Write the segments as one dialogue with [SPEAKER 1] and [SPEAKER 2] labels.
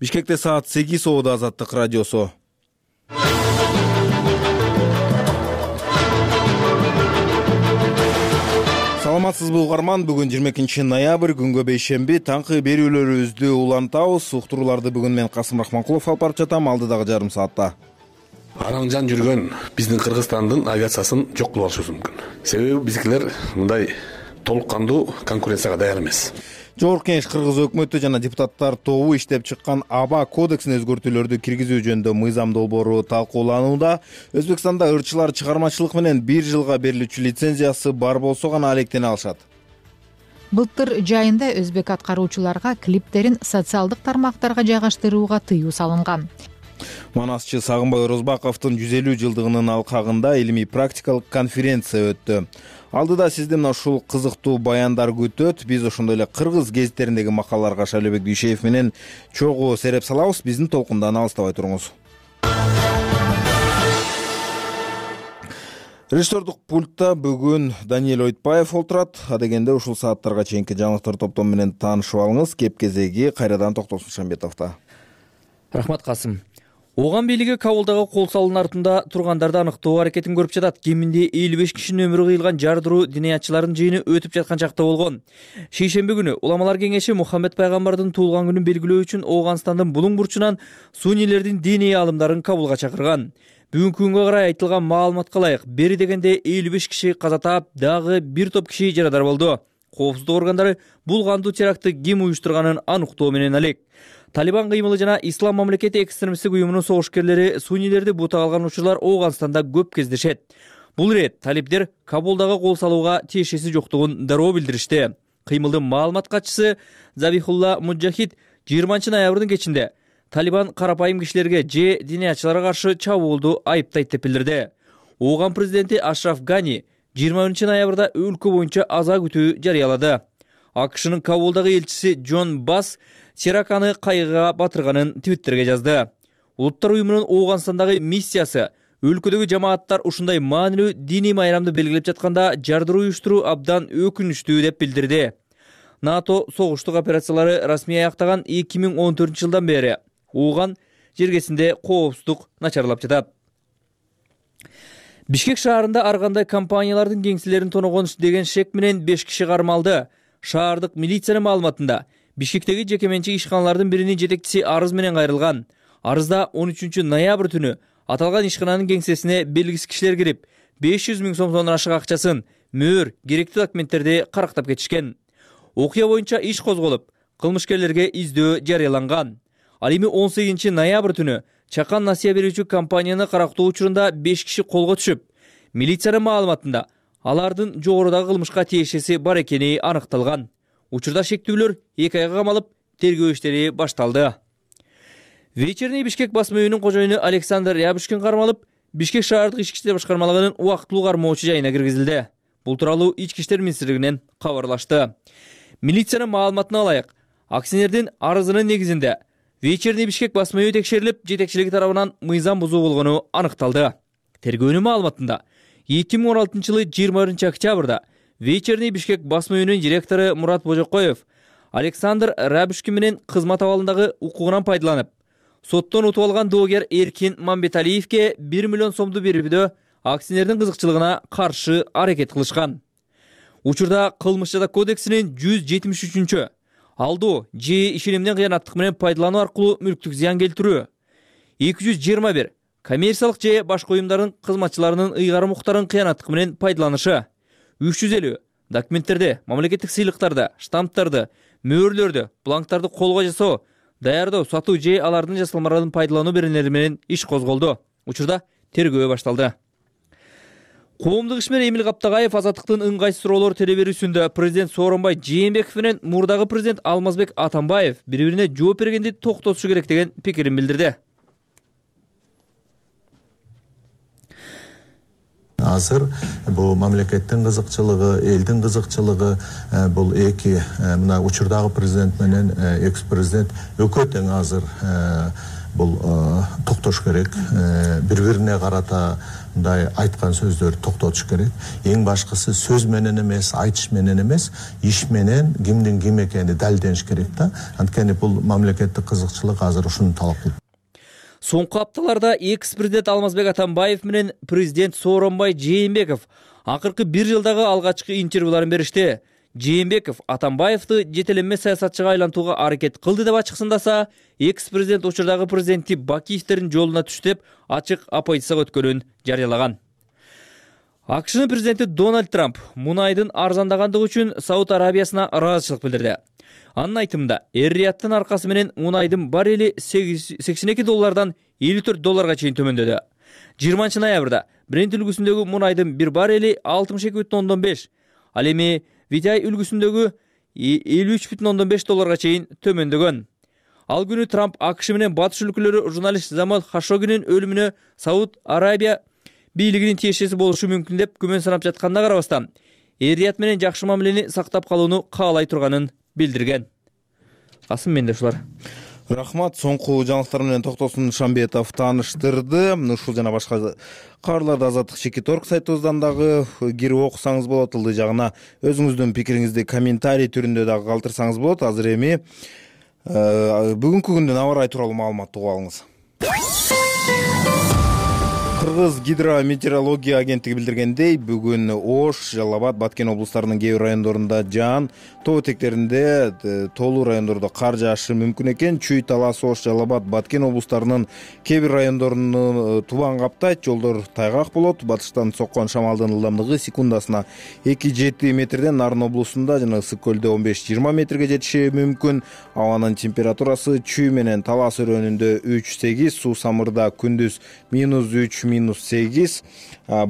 [SPEAKER 1] Бишкекте саат 8 Оодо Азаттык радиосу. Саламатсызбы угарман, бүгүн 22 ноябрь, күнгө бейшемби, таңкы берүүлөрүбүздү улантабыз. Уктурууларды бүгүн мен Касым Рахманкулов алып барып жатам, алдыдагы жарым саатта.
[SPEAKER 2] Араңжан жүргөн биздин Кыргызстандын авиациясын жок кылып алышыбыз мүмкүн. Себеби биздикилер мындай толук кандуу конкуренцияга даяр эмес.
[SPEAKER 1] Жогорку Кеңеш Кыргыз өкмөтү жана депутаттар тобу иштеп чыккан аба кодексине өзгөртүүлөрдү киргизүү жөнүндө мыйзам долбоору талкууланууда. Өзбекстанда ырчылар чыгармачылык менен 1 жылга берилүүчү лицензиясы бар болсо гана алектене алышат.
[SPEAKER 3] Былтыр жайында өзбек аткаруучуларга клиптерин социалдык тармактарга жайгаштырууга тыюу салынган.
[SPEAKER 1] Манасчы Сагынбай Орозбаковдун 150 жылдыгынын алкагында илимий практикалык конференция өттү. Алдыда сизден ушул кызыктуу баяндар күтөт. Биз ошондой эле кыргыз гезиттериндеги макалаларга Шайлообек Дүйшеев менен чогуу сереп салабыз. Биздин толкундан алыстабай туруңуз. Режиссердук пультта бүгүн Даниэль Ойтбаев отурат. Адегенде ушул сааттарга чейинки жаңылыктар топтому менен таанышып алыңыз. Кеп кезеги кайрадан Токтосун Шамбетовдо.
[SPEAKER 4] Рахмат Касым. Ооган бийлиги Кабулдагы кол салуунун артында тургандарды аныктоо аракетин көрүп жатат. Кеминде 55 кишинин өмүрү кыйылган жардыруу диниятчылардын жыйыны өтүп жаткан чакта болгон. Шейшемби күнү Уламалар кеңеши Мухаммед пайгамбардын туулган күнүн белгилөө үчүн Ооганстандын булуң бурчунан суннилердин диний аалымдарын Кабулга чакырган. Бүгүнкү күнгө карай айтылган маалыматка ылайык бери дегенде 55 киши каза таап, дагы бир топ киши жарадар болду. Коопсуздук органдары бул кандуу терактты ким уюштурганын аныктоо менен алек. Талибан кыймылы жана Ислам мамлекети экстремисттик уюмунун согушкерлери суннилерди бутак алган учурлар Ооганстанда көп кездешет. Бул ирет талиптер Кабулдагы кол салууга тиешеси жоктугун дароо билдиришти. Кыймылдын маалымат катчысы Забихулла Муджахид 20 ноябрдын кечинде Талибан карапайым кишилерге же диниятчыларга каршы чабуулду айыптайт деп билдирди. Ооган президенти Ашраф Гани 20 ноябрда өлкө боюнча аза күтүү жарыялады. АКШнын Кабулдагы элчиси Джон Басс Чераканы кайгыга батырганын твиттерге жазды. Улуттар уюмунун Ооганстандагы миссиясы өлкөдөгү жамааттар ушундай маанилүү диний майрамды белгилеп жатканда жардыруу уюштуруу абдан өкүнүчтүү деп билдирди. НАТО согуштук операциялары расмий аяктаган 2014 жылдан бери Ооган жергесинде коопсуздук начарлап жатат. Бишкек шаарында ар кандай компаниялардын кеңселерин тоногон деген шек менен 5 киши кармалды. Шаардык милициянын маалыматында Бишкектеги жекеменчик ишканалардын биринин жетекчиси арыз менен кайрылган. Арызда 13 ноябрь түнү аталган ишкананын кеңсесине белгисиз кишилер кирип, 500 000 сомдон ашык акчасын, мөөр, керектүү документтерди карактап кетишкен. Окуя боюнча иш козголуп, кылмышкерлерге издөө жарыяланган. Ал эми 18 ноябрь түнү чакан насыя берүүчү компанияны карактоо учурунда 5 киши колго түшүп, милициянын маалыматында алардын жогорудагы кылмышка тиешеси бар экени аныкталган. Учурда шектүүлөр 2 айга камалып, тергөө иштери башталды. Вечерний Бишкек басма үйүнүн кожоюну Александр Рябушкин кармалып, Бишкек шаардык ички иштер башкармалыгынын убактылуу кармоочу жайына киргизилди. Бул тууралуу Ички иштер министрлигинен кабарлашты. Милициянын маалыматына ылайык, акционердин арызынын негизинде Вечерний Бишкек басма үйү текшерилип, жетекчилиги тарабынан мыйзам бузуу болгону аныкталды. Тергөөнүн маалыматында 2016 жылы 21 октябрда Вечерний Бишкек басма үйүнүн директору Мурат Божокоев Александр Рябушкин менен кызмат абалындагы укугунан пайдаланып, соттон утуп алган доогер Эркин Мамбеталиевке 1 миллион сомду берүүдө акционердин кызыкчылыгына каршы аракет кылышкан. Учурда кылмыш жаза кодексинин 173-чү алдоо же ишенимден кыянаттык менен пайдалануу аркылуу мүлктүк зыян келтирүү, 221 коммерциялык же башка уюмдардын кызматчыларынын ыйгарым укуктарын кыянаттык менен пайдаланышы, 350 документтерди, мамлекеттик сыйлыктарды, штамптарды, мөөрлөрдү, бланктарды колго жасоо, даярдоо, сатуу же алардын жасалмаларын пайдалануу беренелери менен иш козголду. Учурда тергөө башталды. Коомдук ишмер Эмил Каптагаев Азаттыктын ыңгайсыз суроолор телеберүүсүндө президент Сооронбай Жээнбеков менен мурдагы президент Алмазбек Атамбаев бири-бирине жооп бергенди токтотушу керек деген пикирин билдирди.
[SPEAKER 5] Азыр бул мамлекеттин кызыкчылыгы, элдин кызыкчылыгы бул эки мына учурдагы президент менен экс-президент экөө тең азыр бул токтош керек. Бири-бирине карата мындай айткан сөздөрдү токтотуш керек. Эң башкысы сөз менен эмес, айтыш менен эмес, иш менен кимдин ким экени далилдениш керек да. Анткени бул мамлекеттик кызыкчылык азыр ушуну талап кылат.
[SPEAKER 4] Соңку апталарда экс-президент Алмазбек Атамбаев менен президент Сооронбай Жээнбеков акыркы 1 жылдагы алгачкы интервьюларын беришти. Жээнбеков Атамбаевди жетеленме саясатчыга айлантууга аракет кылды деп ачыксындаса, экс-президент учурдагы президенти Бакиевдердин жолуна түш деп ачык оппозицияга өткөнүн жарыялаган. АКШнын президенти Дональд Трамп мунайдын арзандагандыгы үчүн Сауд Арабиясына ыраазычылык билдирди. Анын айтымында, эр-Рияттын аркасы менен мунайдын баррели $82 $54 чейин төмөндөдү. 20 ноябрда Брент үлгүсүндөгү мунайдын bir баррели 62,5, ал эми Витяй үлгүсүндөгү $53,5 чейин төмөндөгөн. Ал күнү Трамп АКШ менен батыш өлкөлөрү журналист Замал Хашогинин өлүмүнө Сауд Арабия бийлигинин тиешеси болушу мүмкүн деп күмөн санап жатканына карабастан, эр-Рият менен жакшы мамилени сактап калууну каалай турганын билдирген. Касым, менде ушулар.
[SPEAKER 1] Рахмат. Соңку жаңылыктар менен Токтосун Шамбетов тааныштырды. Ушул жана башка кабарларды Азаттык Чекиторг сайтыбыздан дагы кирип окусаңыз болот. Ылдый жагына өзүңүздүн пикириңизди комментарий түрүндө дагы калтырсаңыз болот. Азыр эми бүгүнкү күндүн аба ырайы тууралуу маалыматты угуп алыңыз. Кыргыз гидрометеорология агенттиги билдиргендей, бүгүн Ош, Жалал Абад, Баткен облустарынын кээ бир райондорунда жаан, тоо этектеринде тоолуу райондордо кар жаашы мүмкүн экен. Чүй, Талас, Ош, Жалал Абад, Баткен облустарынын кээ бир райондорун тубан каптайт, жолдор тайгак болот. Батыштан соккон шамалдын ылдамдыгы секундасына 2-7 метрден, Нарын облусунда жана Ысык көлдө 15-20 метрге жетиши мүмкүн. Абанын температурасы Чүй менен Талас өрөөнүндө 3-8, Суу Самырда күндүз -3, -8,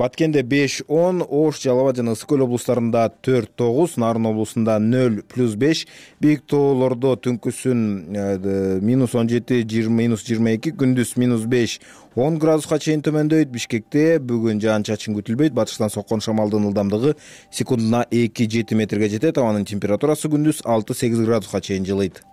[SPEAKER 1] Баткенде 5-10, Ош, Жалал Абад жана Ысык көл облустарында 4-9, Нарын облусунда 0+5, бийик тоолордо түнкүсүн -17, -22, күндүз -5-10 градуска чейин төмөндөйт. Бишкекте бүгүн жаан-чачын күтүлбөйт. Батыштан соккон шамалдын ылдамдыгы секундуна 2-7 метрге жетет. Абанын температурасы күндүз 6-8 градуска чейин жылыйт.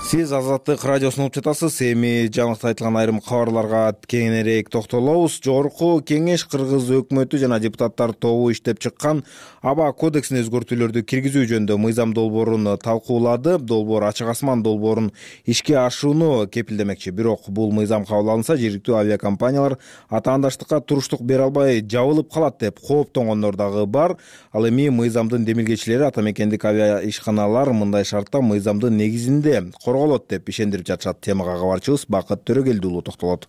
[SPEAKER 1] Сиз Азаттык радиосун угуп жатасыз. Эми жаңылыкта айтылган айрым кабарларга кеңирээк токтолобуз. Жогорку кеңеш Кыргыз өкмөтү жана депутаттар тобу иштеп чыккан аба кодексине өзгөртүүлөрдү киргизүү жөнүндө мыйзам долбоорун талкуулады. Долбоор Ачык асман долбоорун ишке ашууну кепилдемекчи. Бирок бул мыйзам кабыл алынса, жергиликтүү авиакомпаниялар атаандаштыкка туруштук бере албай жабылып калат деп кооптонгондор дагы бар. Ал эми мыйзамдын демилгечилери атамекендик авиа ишканалар мындай шартта мыйзамдын негизинде корголот деп ишендирип жатышат. Темага кабарчыбыз Бакыт Төрөгелдиулу токтолот.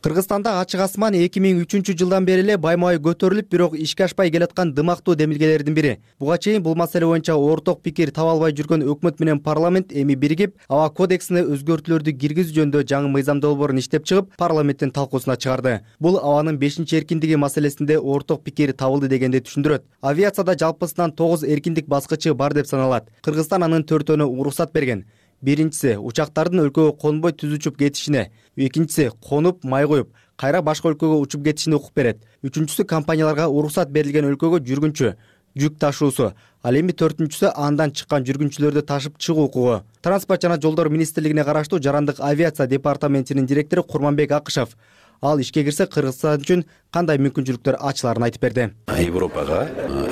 [SPEAKER 6] Кыргызстанда Ачык асман 2003 жылдан бери эле байма-бай көтөрүлүп, бирок ишке ашпай келаткан дымактуу демилгелердин бири. Буга чейин бул маселе боюнча орток пикир таба албай жүргөн өкмөт менен парламент эми биригип, аба кодексине өзгөртүүлөрдү киргизүү жөнүндө жаңы мыйзам долбоорун иштеп чыгып, парламенттин талкуусуна чыгарды. Бул абанын 5-эркиндиги маселесинде орток пикир табылды дегенди түшүндүрөт. Авиацияда жалпысынан 9 эркиндик баскычы бар деп саналат. Кыргызстан анын 4-өөнө уруксат берген. Биринчиси учактардын өлкөгө конбой түз учуп кетишине, экинчиси конуп май коюп, кайра башка өлкөгө учуп кетишине укук берет. Үчүнчүсү компанияларга уруксат берилген өлкөгө жүргүнчү, жүк ташуусу, ал эми төртүнчүсү андан чыккан жүргүнчүлөрдү ташып чыгуу укугу. Транспорт жана жолдор министрлигине караштуу Жарандык авиация департаментинин директору Курманбек Акышев ал ишке кирсе Кыргызстан үчүн кандай мүмкүнчүлүктөр ачыларын айтып берди.
[SPEAKER 7] Европага,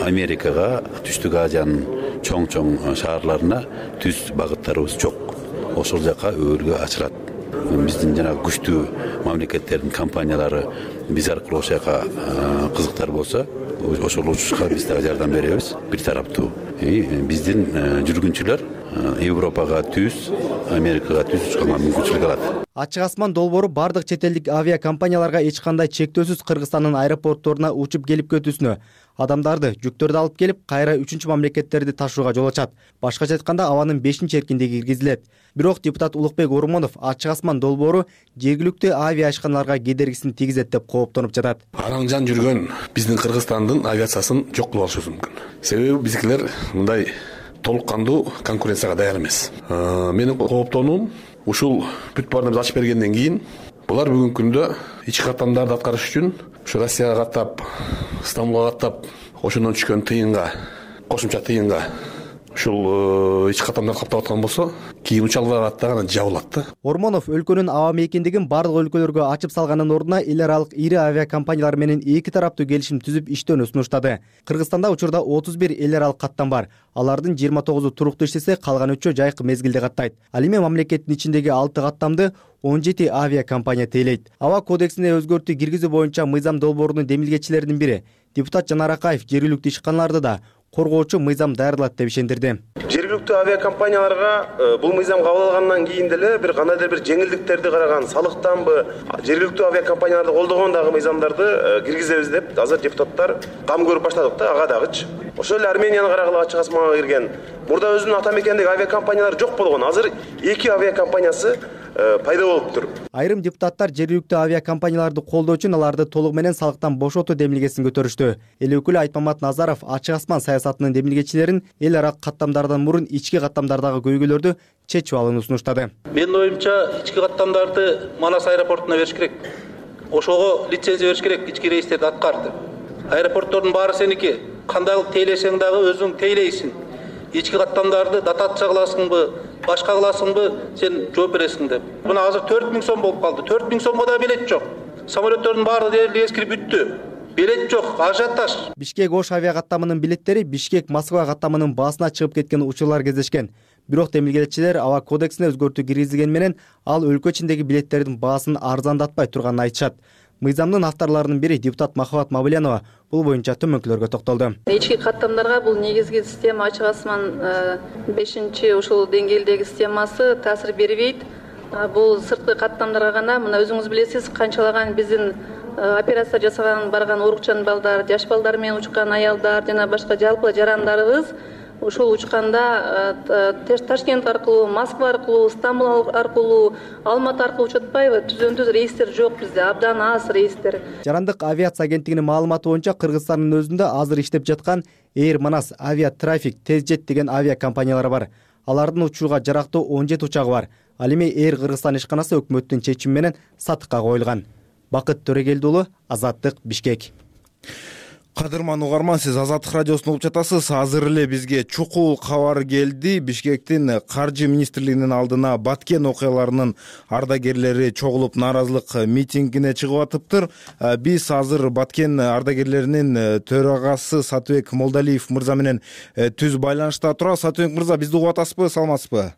[SPEAKER 7] Америкага, Түштүк Азиянын чоң шаарларына түз багыттарыбыз жок. Ошол жака өбөлгө ачылат. Биздин жана күчтүү мамлекеттердин компаниялары биз аркылуу ошол жака кызыктар болсо, ошол учушка биз дагы жардам беребиз. Бир тараптуу. Биздин жүргүнчүлөр Европага түз, Америкага түз учканга мүмкүнчүлүк алат.
[SPEAKER 6] Ачык асман долбоору бардык чет элдик авиакомпанияларга эч кандай чектөөсүз Кыргызстандын аэропортторуна учуп келип кетүүсүнө, адамдарды, жүктөрдү алып келип, кайра үчүнчү мамлекеттерди ташууга жол ачат. Башкача айтканда, абанын 5-эркиндиги киргизилет. Бирок депутат Улукбек Орумонов Ачык асман долбоору жергиликтүү авиа ишканаларга кедергисин тийгизет деп кооптонуп жатат.
[SPEAKER 2] Араңжан жүргөн биздин Кыргызстандын авиациясын жок кылып алышыбыз мүмкүн. Себеби биздикилер мындай толук кандуу конкуренцияга даяр эмес. Менин кооптонуум ушул бүт баарына биз ачып бергенден кийин булар бүгүнкү күндө ички каттамдарды аткарыш үчүн ушу Россияга каттап, Стамбулга каттап, ошондон түшкөн тыйынга, кошумча тыйынга ушул ички каттамдарды каптап аткан болсо кийин учалбай калат дагы анан жабылат да.
[SPEAKER 6] Ормонов өлкөнүн аба мейкиндигин бардык өлкөлөргө ачып салганын ордуна эл аралык ири авиакомпаниялар менен эки тараптуу келишим түзүп иштөөнү сунуштады. Кыргызстанда учурда 31 эл аралык каттам бар. Алардын 29-у туруктуу иштесе, калган 3-ü жайкы мезгилде каттайт. Ал эми мамлекеттин ичиндеги 6 каттамды 17 авиакомпания тейлейт. Аба кодексине өзгөртүү киргизүү боюнча мыйзам долбоорунун демилгечилеринин бири депутат Жанар Акаев жергиликтүү ишканаларды да коргоочу мыйзам даярдалат деп ишендирди.
[SPEAKER 8] Жергиликтүү авиакомпанияларга бул мыйзам кабыл алгандан кийин деле бир кандайдыр бир жеңилдиктерди караган, салыктанбы, жергиликтүү авиакомпанияларды колдогон дагы мыйзамдарды киргизебиз деп азыр депутаттар кам көрүп баштадык да, ага дагычы. Ошол эле Арменияны карагыла ачык асманга кирген. Мурда өзүнүн ата мекенидеги авиакомпаниялар жок болгон. Азыр 2 авиакомпаниясы пайда болуптур.
[SPEAKER 6] Айрым депутаттар жергиликтүү авиакомпанияларды колдоо үчүн аларды толугу менен салыктан бошотуу демилгесин көтөрүштү. Эл өкүлү Айтмамат Назаров ачык асман саясатынын демилгечилерин эл ара каттамдардан мурун ички каттамдардагы көйгөйлөрдү чечип алууну сунуштады.
[SPEAKER 9] Менин оюмча ички каттамдарды Манас аэропортуна бериш керек. Ошого лицензия бериш керек, ички рейстерди аткарды. Аэропорттордун баары сеники. Кандай тейлесең дагы өзүң тейлейсиң. Ички каттамдарды дотация кыласыңбы, башка кыласыңбы, сен жооп бересиң деп. Мына азыр 4000 сом болуп калды. 4000 сомго да билет жок. Самолеттердин баары дээрлик эскирип бүттү. Билет жок, ажиотаж.
[SPEAKER 6] Бишкек-Ош авиакаттамынын билеттери Бишкек-Москва каттамынын баасына чыгып кеткен учурлар кездешкен. Бирок демилгечилер аба кодексине өзгөртүү киргизилгени менен ал өлкө ичиндеги билеттердин баасын арзандатпай турганын айтышат. Мыйзамдын авторлорунун бири депутат Махабат Мабылянова бул боюнча төмөнкүлөргө токтолду.
[SPEAKER 10] Ички каттамдарга бул негизги система ачык асман 5-чи ушул деңгээлдеги системасы таасир бербейт. Бул сырткы каттамдарга гана, мына өзүңүз билесиз, канчалаган биздин операция жасаган барган урукчан балдар, жаш балдар менен учкан аялдар жана башка жалпы жарандарыбыз ушул учканда Ташкент аркылуу, Москва аркылуу, Стамбул аркылуу, Алматы аркылуу учатпайбы? Түзөн-түз рейстер жок бизде, абдан аз рейстер.
[SPEAKER 6] Жарандык авиация агенттигинин маалыматы боюнча Кыргызстандын өзүндө азыр иштеп жаткан Air Manas, Aviatraffic, Tezjet деген авиакомпаниялар бар. Алардын учууга жарактуу 17 учагы бар. Ал эми Air Кыргызстан ишканасы өкмөттүн чечими менен сатыкка коюлган. Бакыт Төрегелди уулу, Азаттык, Бишкек.
[SPEAKER 1] Кадырман угарман, сиз Азаттык радиосун угуп жатасыз. Азыр эле бизге чукул кабар келди. Бишкектин каржы министрлигинин алдына Баткен окуяларынын ардагерлери чогулуп нааразылык митингине чыгып атыптыр. Биз азыр Баткен ардагерлеринин төрагасы Сатыбек Молдалиев мырза менен түз байланышта турабыз. Сатыбек мырза, бизди угуп атасызбы, саламатсызбы?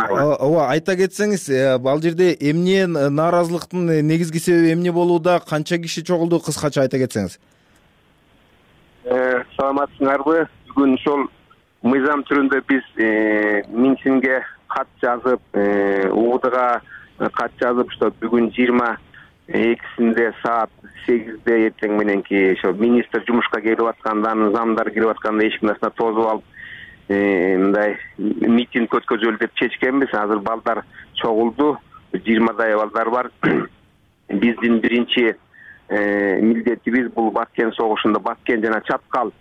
[SPEAKER 1] Ооба, айта кетсеңиз, ал жерде эмне нааразылыктын негизги себеби эмне болууда, канча киши чогулду, кыскача айта кетсеңиз.
[SPEAKER 11] Саламатсыңарбы? Бүгүн ошол мыйзам түрүндө биз митингге кат жазып, УКМКга кат жазып, что бүгүн 22-синде саат 8-де эртең мененки ошо министр жумушка келип атканда, замдар кирип атканда эшик насына тосуп алып мындай митинг өткөзөлү деп чечкенбиз. Азыр балдар чогулду, 20дай балдар бар. Биздин биринчи милдетибиз бул Баткен согушунда, Баткен жана Чаткал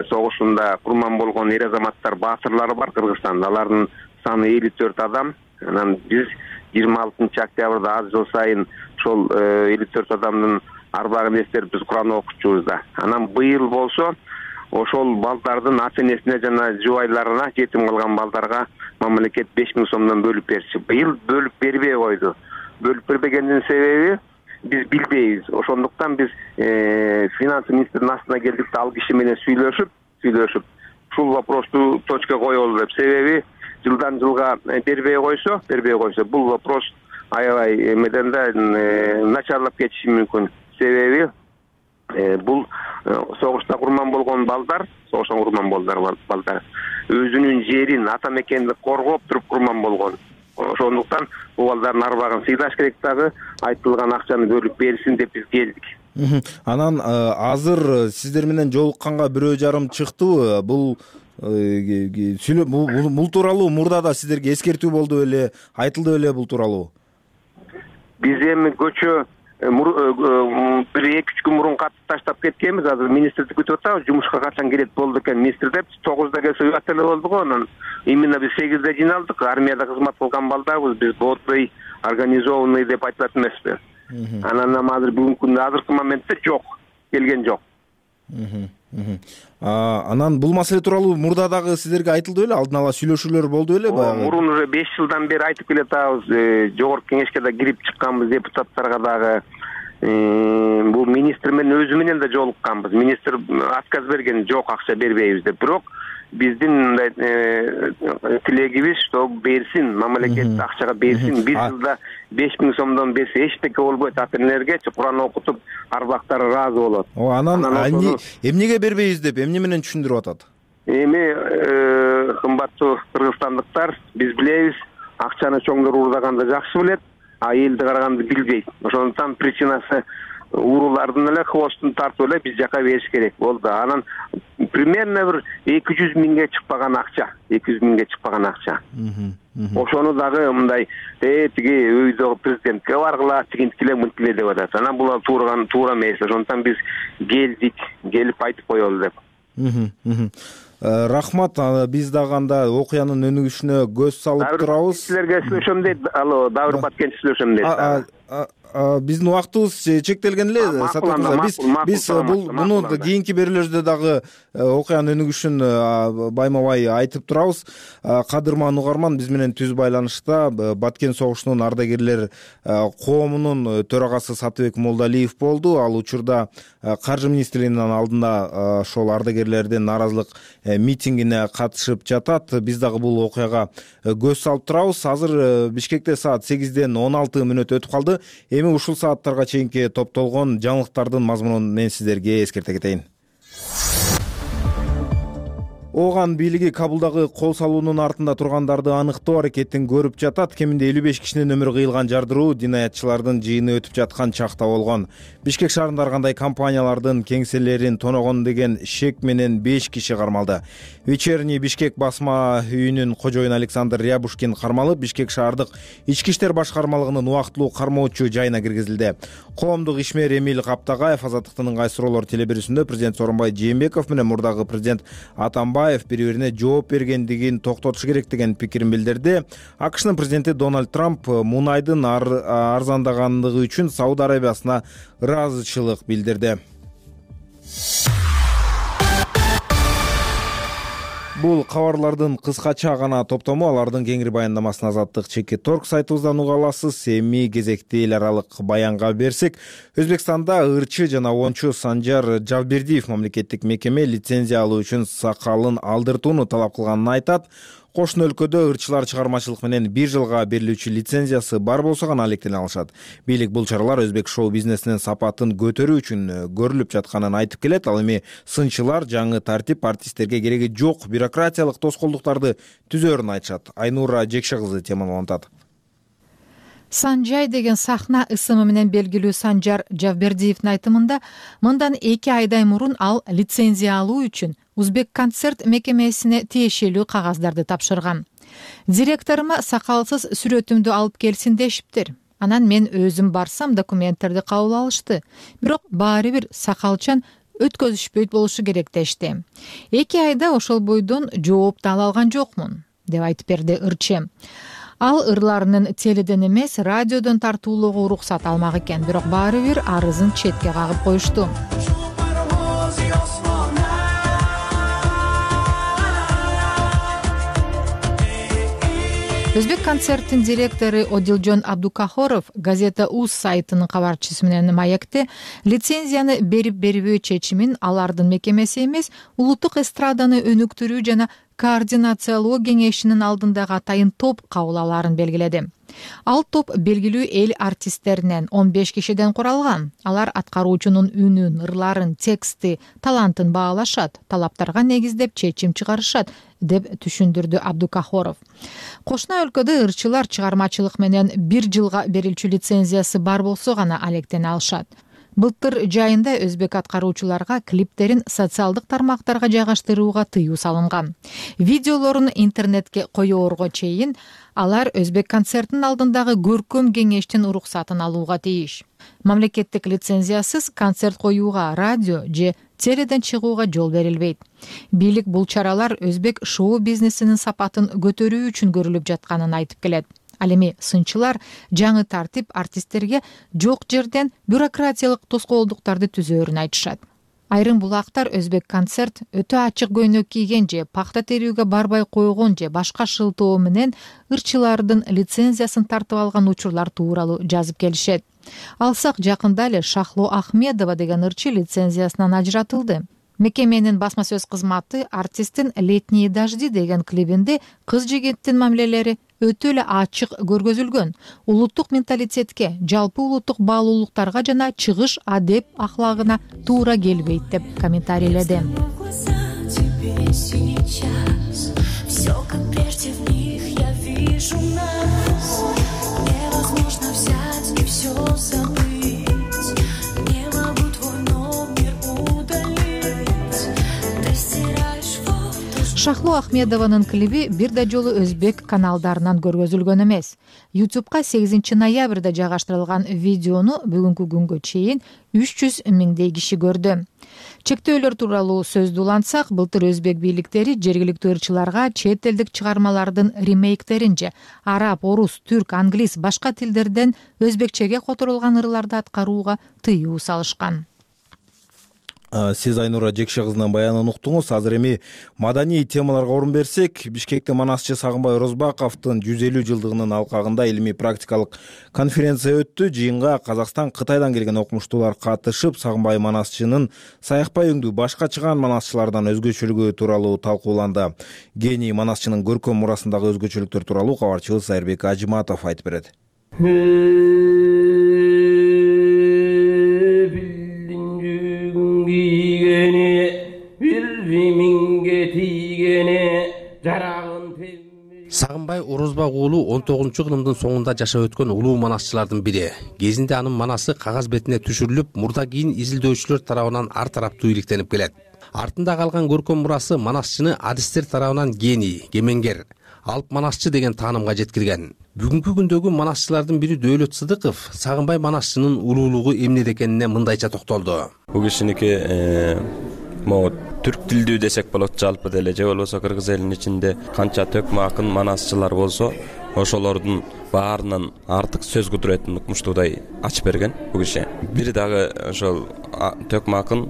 [SPEAKER 11] согушунда курман болгон эр азаматтар, баасырлары бар Кыргызстанда. Алардын саны 54 адам. Анан биз 26-октябрда аз жыл сайын ошол 54 адамдын арбагын эстерип биз Куран окучубуз да. Анан быйыл болсо ошол балдардын ата-энесине жана жубайларына, жетим калган балдарга мамлекет 5000 сомдон бөлүп берчү. Быйыл бөлүп бербей койду. Бөлүп бербегендин себеби биз билбейбиз. Ошондуктан биз финанс министринин астына келдик да, ал киши менен сүйлөшүп ушул вопросту точка коелу деп. Себеби жылдан жылга бербей койсо бул вопрос аябай эмеден да начарлап кетиши мүмкүн. Себеби бул согушта курман болгон балдар, согуштан курман балдар өзүнүн жерин, ата мекенди коргоп туруп курман болгон. Ошондуктан бул балдардын арбагын сыйдаш керек дагы, айтылган акчаны бөлүп берсин деп биз келдик.
[SPEAKER 1] Анан азыр сиздер менен жолукканга 1,5 чыктыбы? Бул бул тууралуу мурда да сиздерге эскертүү болду беле, айтылды беле бул тууралуу?
[SPEAKER 11] Биз эми көчө 1-2 күн мурун катып таштап кеткенбиз. Азыр министрди күтүп атабыз. Жумушка качан келет болду экен министр деп. 9-да келсе уят эле болду го. Анан именно биз 8-де жиналдык. Армияда кызмат кылган балдарбыз. Биз бодбой, организованный деп айтылат эмеспи. Анан азыр бүгүнкү күндө азыркы моментте жок, келген жок.
[SPEAKER 1] Анан бул маселе тууралуу мурда дагы сиздерге айтылды беле, алдын ала сүйлөшүүлөр болду беле баягы?
[SPEAKER 11] Мурун уже 5 жылдан бери айтып келатабыз, жогорку кеңешке да кирип чыкканбыз, депутаттарга дагы. Бул министр менен өзү менен да жолукканбыз. Министр отказ берген, жок акча бербейбиз деп. Бирок биздин мындай тилегибиз, что берсин, мамлекет акчага берсин. Бир жылда 5000 сомдон берсе эчтеке болбойт, ата-энелерге Кур'ан окутуп, арбактары ыраазы болот.
[SPEAKER 1] Анан эмнеге бербейбиз деп эмне менен түшүндүрүп атат?
[SPEAKER 11] Эми кымбаттуу кыргызстандыктар, биз билебиз, акчаны чоңдор уурдаганды жакшы билет, а элди караганды билбейт. Ошондуктан причинасы уурулардын эле хвостун тартып эле биз жака бериш керек болду. Анан примерно бир 200 миңге чыкпаган акча, 200 миңге чыкпаган акча. Ошону дагы мындай тиги өйдөгү президентке баргыла, тигинткиле мынтиле деп атат. Анан булар туура эмес. Ошондуктан биз келдик, келип айтып коелу деп.
[SPEAKER 1] Рахмат, биз дагы анда окуянын өнүгүшүнө көз салып турабыз.
[SPEAKER 11] Силерге сүйлөшөм дейт. Алло, Давыр Баткен сүйлөшөм дейт.
[SPEAKER 1] Биздин убактыбыз чектелген эле, Саттар мырза. Биз муну кийинки берүүлөрдө дагы окуянын өнүгүшүн байма-бай айтып турабыз. Кадырман угарман биз менен түз байланышта Баткен согушунун ардагерлер коомунун төрагасы Сатыбек Молдалиев болду. Ал учурда Каржы министрлигинин алдында ошол ардагерлердин нааразылык митингине катышып жатат. Биз дагы бул окуяга көз салып турабыз. Азыр Бишкекте саат 8ден 16 мүнөт өтүп калды. Эми ушул сааттарга чейинки топтолгон жаңылыктардын мазмунун мен сиздерге эскерте кетейин. Ооган бийлиги Кабулдагы кол салуунун артында тургандарды аныктоо аракетин көрүп жатат. Кеминде 55 кишинин өмүрү кыйылган жардыруу динаятчылардын жыйыны өтүп жаткан чакта болгон. Бишкек шаарында ар кандай компаниялардын кеңселерин тоногон деген шек менен 5 киши кармалды. Вечерний Бишкек басма үйүнүн кожоюну Александр Рябушкин кармалып, Бишкек шаардык ички иштер башкармалыгынын убактылуу кармоочу жайына киргизилди. Коомдук ишмер Эмил Каптагаев Азаттыктын ыңгай суроолор телебирүүсүндө президент Сооронбай Жээнбеков менен мурдагы президент Атамбаев бири-бирине жооп бергендигин токтотуш керек деген пикирин билдирди. АКШнын президенти Дональд Трамп мунайдын арзандагандыгы үчүн Сауд Арабиясына ыраазычылык билдирди. Бул кабарлардын кыскача гана топтому, алардын кеңири баяндамасын Азаттык чеки торг сайтыбыздан уга аласыз. Эми кезекти эл аралык баянга берсек, Өзбекстанда ырчы жана оончу Санжар Жавбердиев мамлекеттик мекеме лицензия алуу үчүн сакалын алдыртууну талап кылганын айтат. Кошуна өлкөдө ырчылар чыгармачылык менен 1 жылга берилүүчү лицензиясы бар болсо гана алектене алышат. Бийлик бул чаралар өзбек шоу бизнесинин сапатын көтөрүү үчүн көрүлүп жатканын айтып келет. Ал эми сынчылар жаңы тартип артисттерге кереги жок бюрократиялык тоскоолдуктарды түзөөрүн айтышат. Айнура Жекше кызы теманы улантат.
[SPEAKER 3] Санжай деген сахна ысымы менен белгилүү Санжар Жавбердиевдин айтымында мындан 2 айдай мурун ал лицензия алуу үчүн Узбек концерт мекемесине тиешелүү кагаздарды тапшырган. Директорума сакалсыз сүрөтүмдү алып келсин дешиптир. Анан мен өзүм барсам документтерди кабыл алышты. Бирок баары бир сакалчан өткөзүшпөйт болушу керек дешти. 2 айда ошол бойдон жооп да ала алган жокмун, деп айтып берди ырчы. Ал ырларынын теледен эмес, радиодон тартуулоого уруксат алмак экен, бирок баары бир арызын четке кагып коюшту. Өзбек концерттин директору Одилжон Абдукахоров газета УЗ сайтынын кабарчысы менен маекте лицензияны берип-бербөө чечимин алардын мекемеси эмес, улуттук эстраданы өнүктүрүү жана координациялоо кеңешинин алдындагы атайын топ кабыл алаарын белгиледи. Ал топ белгилүү эл артисттеринен 15 кишиден куралган. Алар аткаруучунун үнүн, ырларын, тексти, талантын баалашат, талаптарга негиздеп чечим чыгарышат, деп түшүндүрдү Абдукахоров. Кошуна өлкөдө ырчылар чыгармачылык менен 1 жылга берилчү лицензиясы бар болсо гана алектене алышат. Былтыр жайында өзбек аткаруучуларга клиптерин социалдык тармактарга жайгаштырууга тыюу салынган. Видеолорун интернетке коёорго чейин алар өзбек концертинин алдындагы көркөм кеңештин уруксатын алууга тийиш. Мамлекеттик лицензиясыз концерт коюуга, радио же теледен чыгууга жол берилбейт. Бийлик бул чаралар өзбек шоу бизнесинин сапатын көтөрүү үчүн көрүлүп жатканын айтып келет. Ал эми сынчылар жаңы тартип артисттерге жок жерден бюрократиялык тоскоолдуктарды түзөөрүн айтышат. Айрым булактар өзбек концерт өтө ачык көйнөк кийген же пахта терүүгө барбай койгон же башка шылтоо менен ырчылардын лицензиясын тартып алган учурлар тууралуу жазып келишет. Алсак жакында эле Шахло Ахмедова деген ырчы лицензиясынан ажыратылды. Мекеменин басма сөз кызматы артисттин «Летние дожди» деген клибинде кыз жигиттин мамилелери өтө эле ачык көргөзүлгөн. Улуттук менталитетке, жалпы улуттук баалуулуктарга жана чыгыш адеп ахлагына туура келбейт деп комментарийледи. Шахло Ахмедованын клиби бир да жолу өзбек каналдарынан көргөзүлгөн эмес. YouTube'га 8 ноябрда жайгаштырылган видеону бүгүнкү күнгө чейин 300 миңдей киши көрдү. Чектөөлөр тууралуу сөздү улантсак, былтыр өзбек бийликтери жергиликтүү ырчыларга чет элдик чыгармалардын ремейктерин же араб, орус, түрк, англис башка тилдерден өзбекчеге которулган ырларды аткарууга тыюу салышкан.
[SPEAKER 1] Сиз Айнура Жекше кызынын баянын уктуңуз. Азыр эми маданий темаларга орун берсек, Бишкекте манасчы Сагынбай Орозбаковдун 150 жылдыгынын алкагында илимий практикалык конференция өттү. Жыйынга Казакстан, Кытайдан келген окумуштуулар катышып, Сагынбай манасчынын саякпай өңдүү башка чыган манасчылардан өзгөчөлүгү тууралуу талкууланды. Гений манасчынын көркөм мурасындагы өзгөчөлүктөр тууралуу кабарчыбыз Айырбек Ажыматов айтып берет.
[SPEAKER 12] Сагынбай Орозбак уулу 19-кылымдын соңунда жашап өткөн улуу манасчылардын бири. Кезинде анын манасы кагаз бетине түшүрүлүп, мурда кийин изилдөөчүлөр тарабынан ар тараптуу иликтенип келет. Артында калган көркөм мурасы манасчыны адистер тарабынан гений, кемеңгер, алып манасчы деген таанымга жеткирген. Бүгүнкү күндөгү манасчылардын бири Дөөлөт Сыдыков Сагынбай манасчынын улуулугу эмнеде экенине мындайча токтолду.
[SPEAKER 13] Бул кишиники могу түрк тилдүү десек болот жалпы деле, же болбосо кыргыз элинин ичинде канча төкмө акын манасчылар болсо, ошолордун баарынан артык сөз кудуретін укмуштуудай ачып берген бул киши. Бири дагы ошол төкмө акын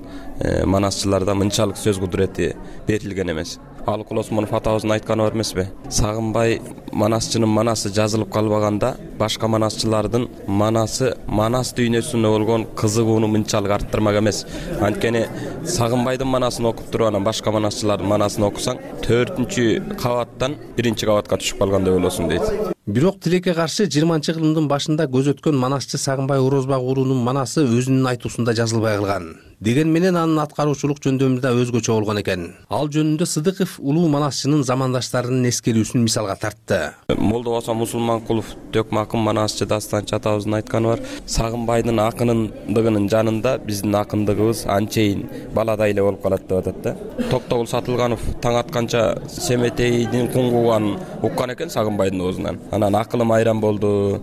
[SPEAKER 13] манасчыларда мынчалык сөз кудурети берилген эмес. Алык Осмонов атабыздын айтканы бар эмеспи? Сагынбай манасчынын манасы жазылып калбаганда, башка манасчылардын манасы манас дүйнөсүнө болгон кызыгууну мынчалык арттырмак эмес. Анткени Сагынбайдын манасын окуп туруп анан башка манасчылардын манасын окусаң, 4-кабаттан 1-кабатка түшүп калгандай болосуң дейт.
[SPEAKER 12] Бирок тилекке каршы 20-кылымдын башында көз өткөн манасчы Сагынбай Орозбак уулунун манасы өзүнүн айтуусунда жазылбай калган. Деген менен анын аткаруучулук жөндөмү да өзгөчө болгон экен. Ал жөнүндө Сыдыков улуу манасчынын замандаштарынын эскерүүсүн мисалга тартты.
[SPEAKER 13] Молдобосо Мусулманкулов төкмө акын манасчы Дастанчы атабыздын айтканы бар. Сагынбайдын акынындыгынын жанында биздин акындыгыбыз анчейин баладай эле болуп калат деп атат да. Токтогул Сатылганов таң атканча Семетейдин куңгуганын уккан экен Сагынбайдын оозунан. Анан акылым айран болду.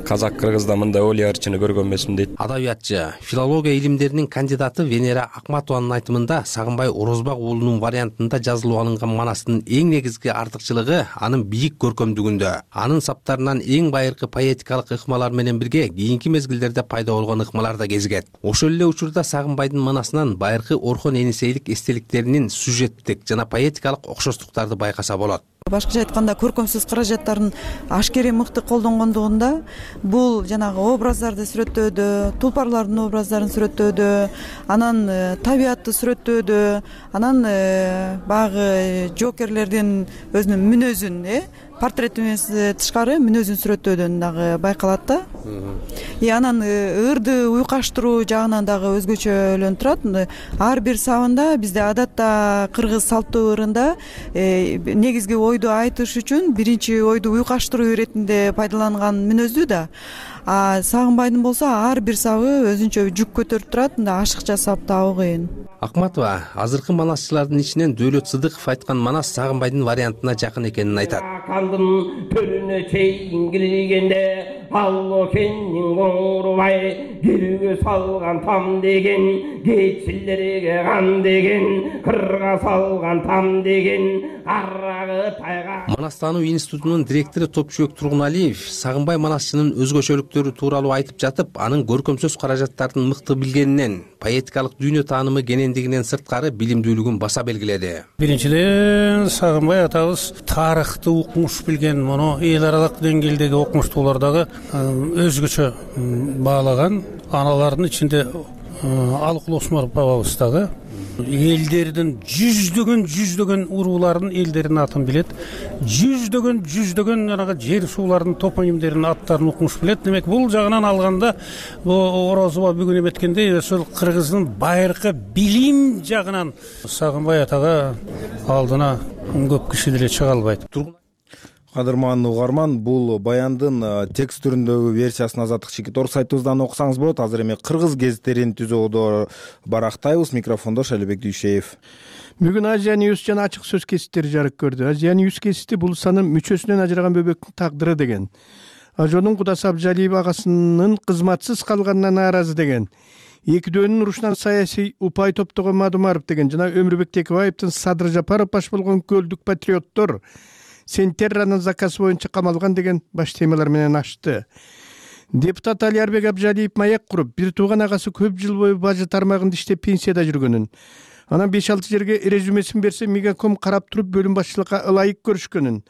[SPEAKER 13] Казак кыргызда мындай Олия ырчыны көргөн эмесмин дейт.
[SPEAKER 12] Адабиятчы, филология илимдеринин кандидаты Венера Акматованын айтымында Сагынбай Орозбак уулунун вариантында жазылып алынган манастын эң негизги артыкчылыгы анын бийик көркөмдүгүндө. Анын саптарынан эң байыркы поэтикалык ыкмалар менен бирге кийинки мезгилдерде пайда болгон ыкмалар да кезигет. Ошол эле учурда Сагынбайдын манасынан байыркы Орхон Энисейлик эстеликтеринин сюжеттик жана поэтикалык окшоштуктарды байкаса болот.
[SPEAKER 14] Башкача айтканда көркөм сөз каражаттарын ашкере мыкты колдонгондугунда бул жанагы образдарды сүрөттөөдө, тулпарлардын образдарын сүрөттөөдө, анан табиатты сүрөттөөдө, анан баягы жокерлердин өзүнүн мүнөзүн, портретинен тышкары мүнөзүн сүрөттөөдөн дагы байкалат да. Анан ырды уйкаштыруу жагынан дагы өзгөчөлөнүп турат. Ар бир сабында бизде адатта кыргыз салттуу ырында негизги ойду айтыш үчүн биринчи ойду уйкаштыруу иретинде пайдаланган мүнөздүү да. Сагынбайдын болсо ар бир сабы өзүнчө жүк көтөрүп турат, ашыкча сап табуу кыйын.
[SPEAKER 12] Акматова азыркы манасчылардын ичинен Дөөлөт Сыдыков айткан манас Сагынбайдын вариантына жакын экенин айтат.
[SPEAKER 15] Кандын төрүнө чейин киргенде алло кеннин коңурбай кирге салган там деген кетчилерге кан деген кырга салган там деген арагы тайга.
[SPEAKER 12] Манастануу институтунун директору Топчубек Тургуналиев Сагынбай Манасчынын өзгөчөлүктөрү тууралуу айтып жатып, анын көркөм сөз каражаттарын мыкты билгенинен, поэтикалык дүйнө таанымы кенендигинен сырткары билимдүүлүгүн баса белгиледи.
[SPEAKER 16] Биринчиден Сагынбай атабыз тарыхты укмуш билген, муну эл аралык деңгээлдеги окумуштуулардагы өзгөчө баалаган. Аналардын ичинде Алыкул Осмонов бабабыз дагы элдердин жүздөгөн уруулардын элдеринин атын билет. Жүздөгөн жанагы жер суулардын топонимдеринин аттарын укмуш билет. Демек бул жагынан алганда Орозова бүгүн эметкендей ошол кыргыздын байыркы билим жагынан Сагынбай атага алдына көп киши деле чыга албайт.
[SPEAKER 1] Кадырман угарман, бул баяндын текст түрүндөгү версиясын Азаттык Чекитор сайтыбыздан окусаңыз болот. Азыр эми кыргыз гезиттерин түзүүдө барактайбыз. Микрофондо Шалибек Дүйшеев.
[SPEAKER 17] Бүгүн Азия Ньюс жана ачык сөз кесиптери жарык көрдү. Азия Ньюс кесипти бул санын мүчөсүнөн ажыраган бөбөктүн тагдыры деген. Ажонун кудасы Абжалиев агасынын кызматсыз калганына нааразы деген. Экөөдүнүн урушунан саясий упай топтогон Мадумаров деген жана Өмүрбек Текебаевдин Садыр Жапаров баш болгон көлдүк патриоттор Сентерранын заказы боюнча камалган деген баш темалар менен ачты. Депутат Алиарбек Абжалиев маяк куруп, бир тууган агасы көп жыл бою бажы тармагында иштеп пенсияда жүргөнүн, анан 5-6 жерге резюмесин берсе Мегаком карап туруп бөлүм башчылыкка ылайык көрүшкөнүн,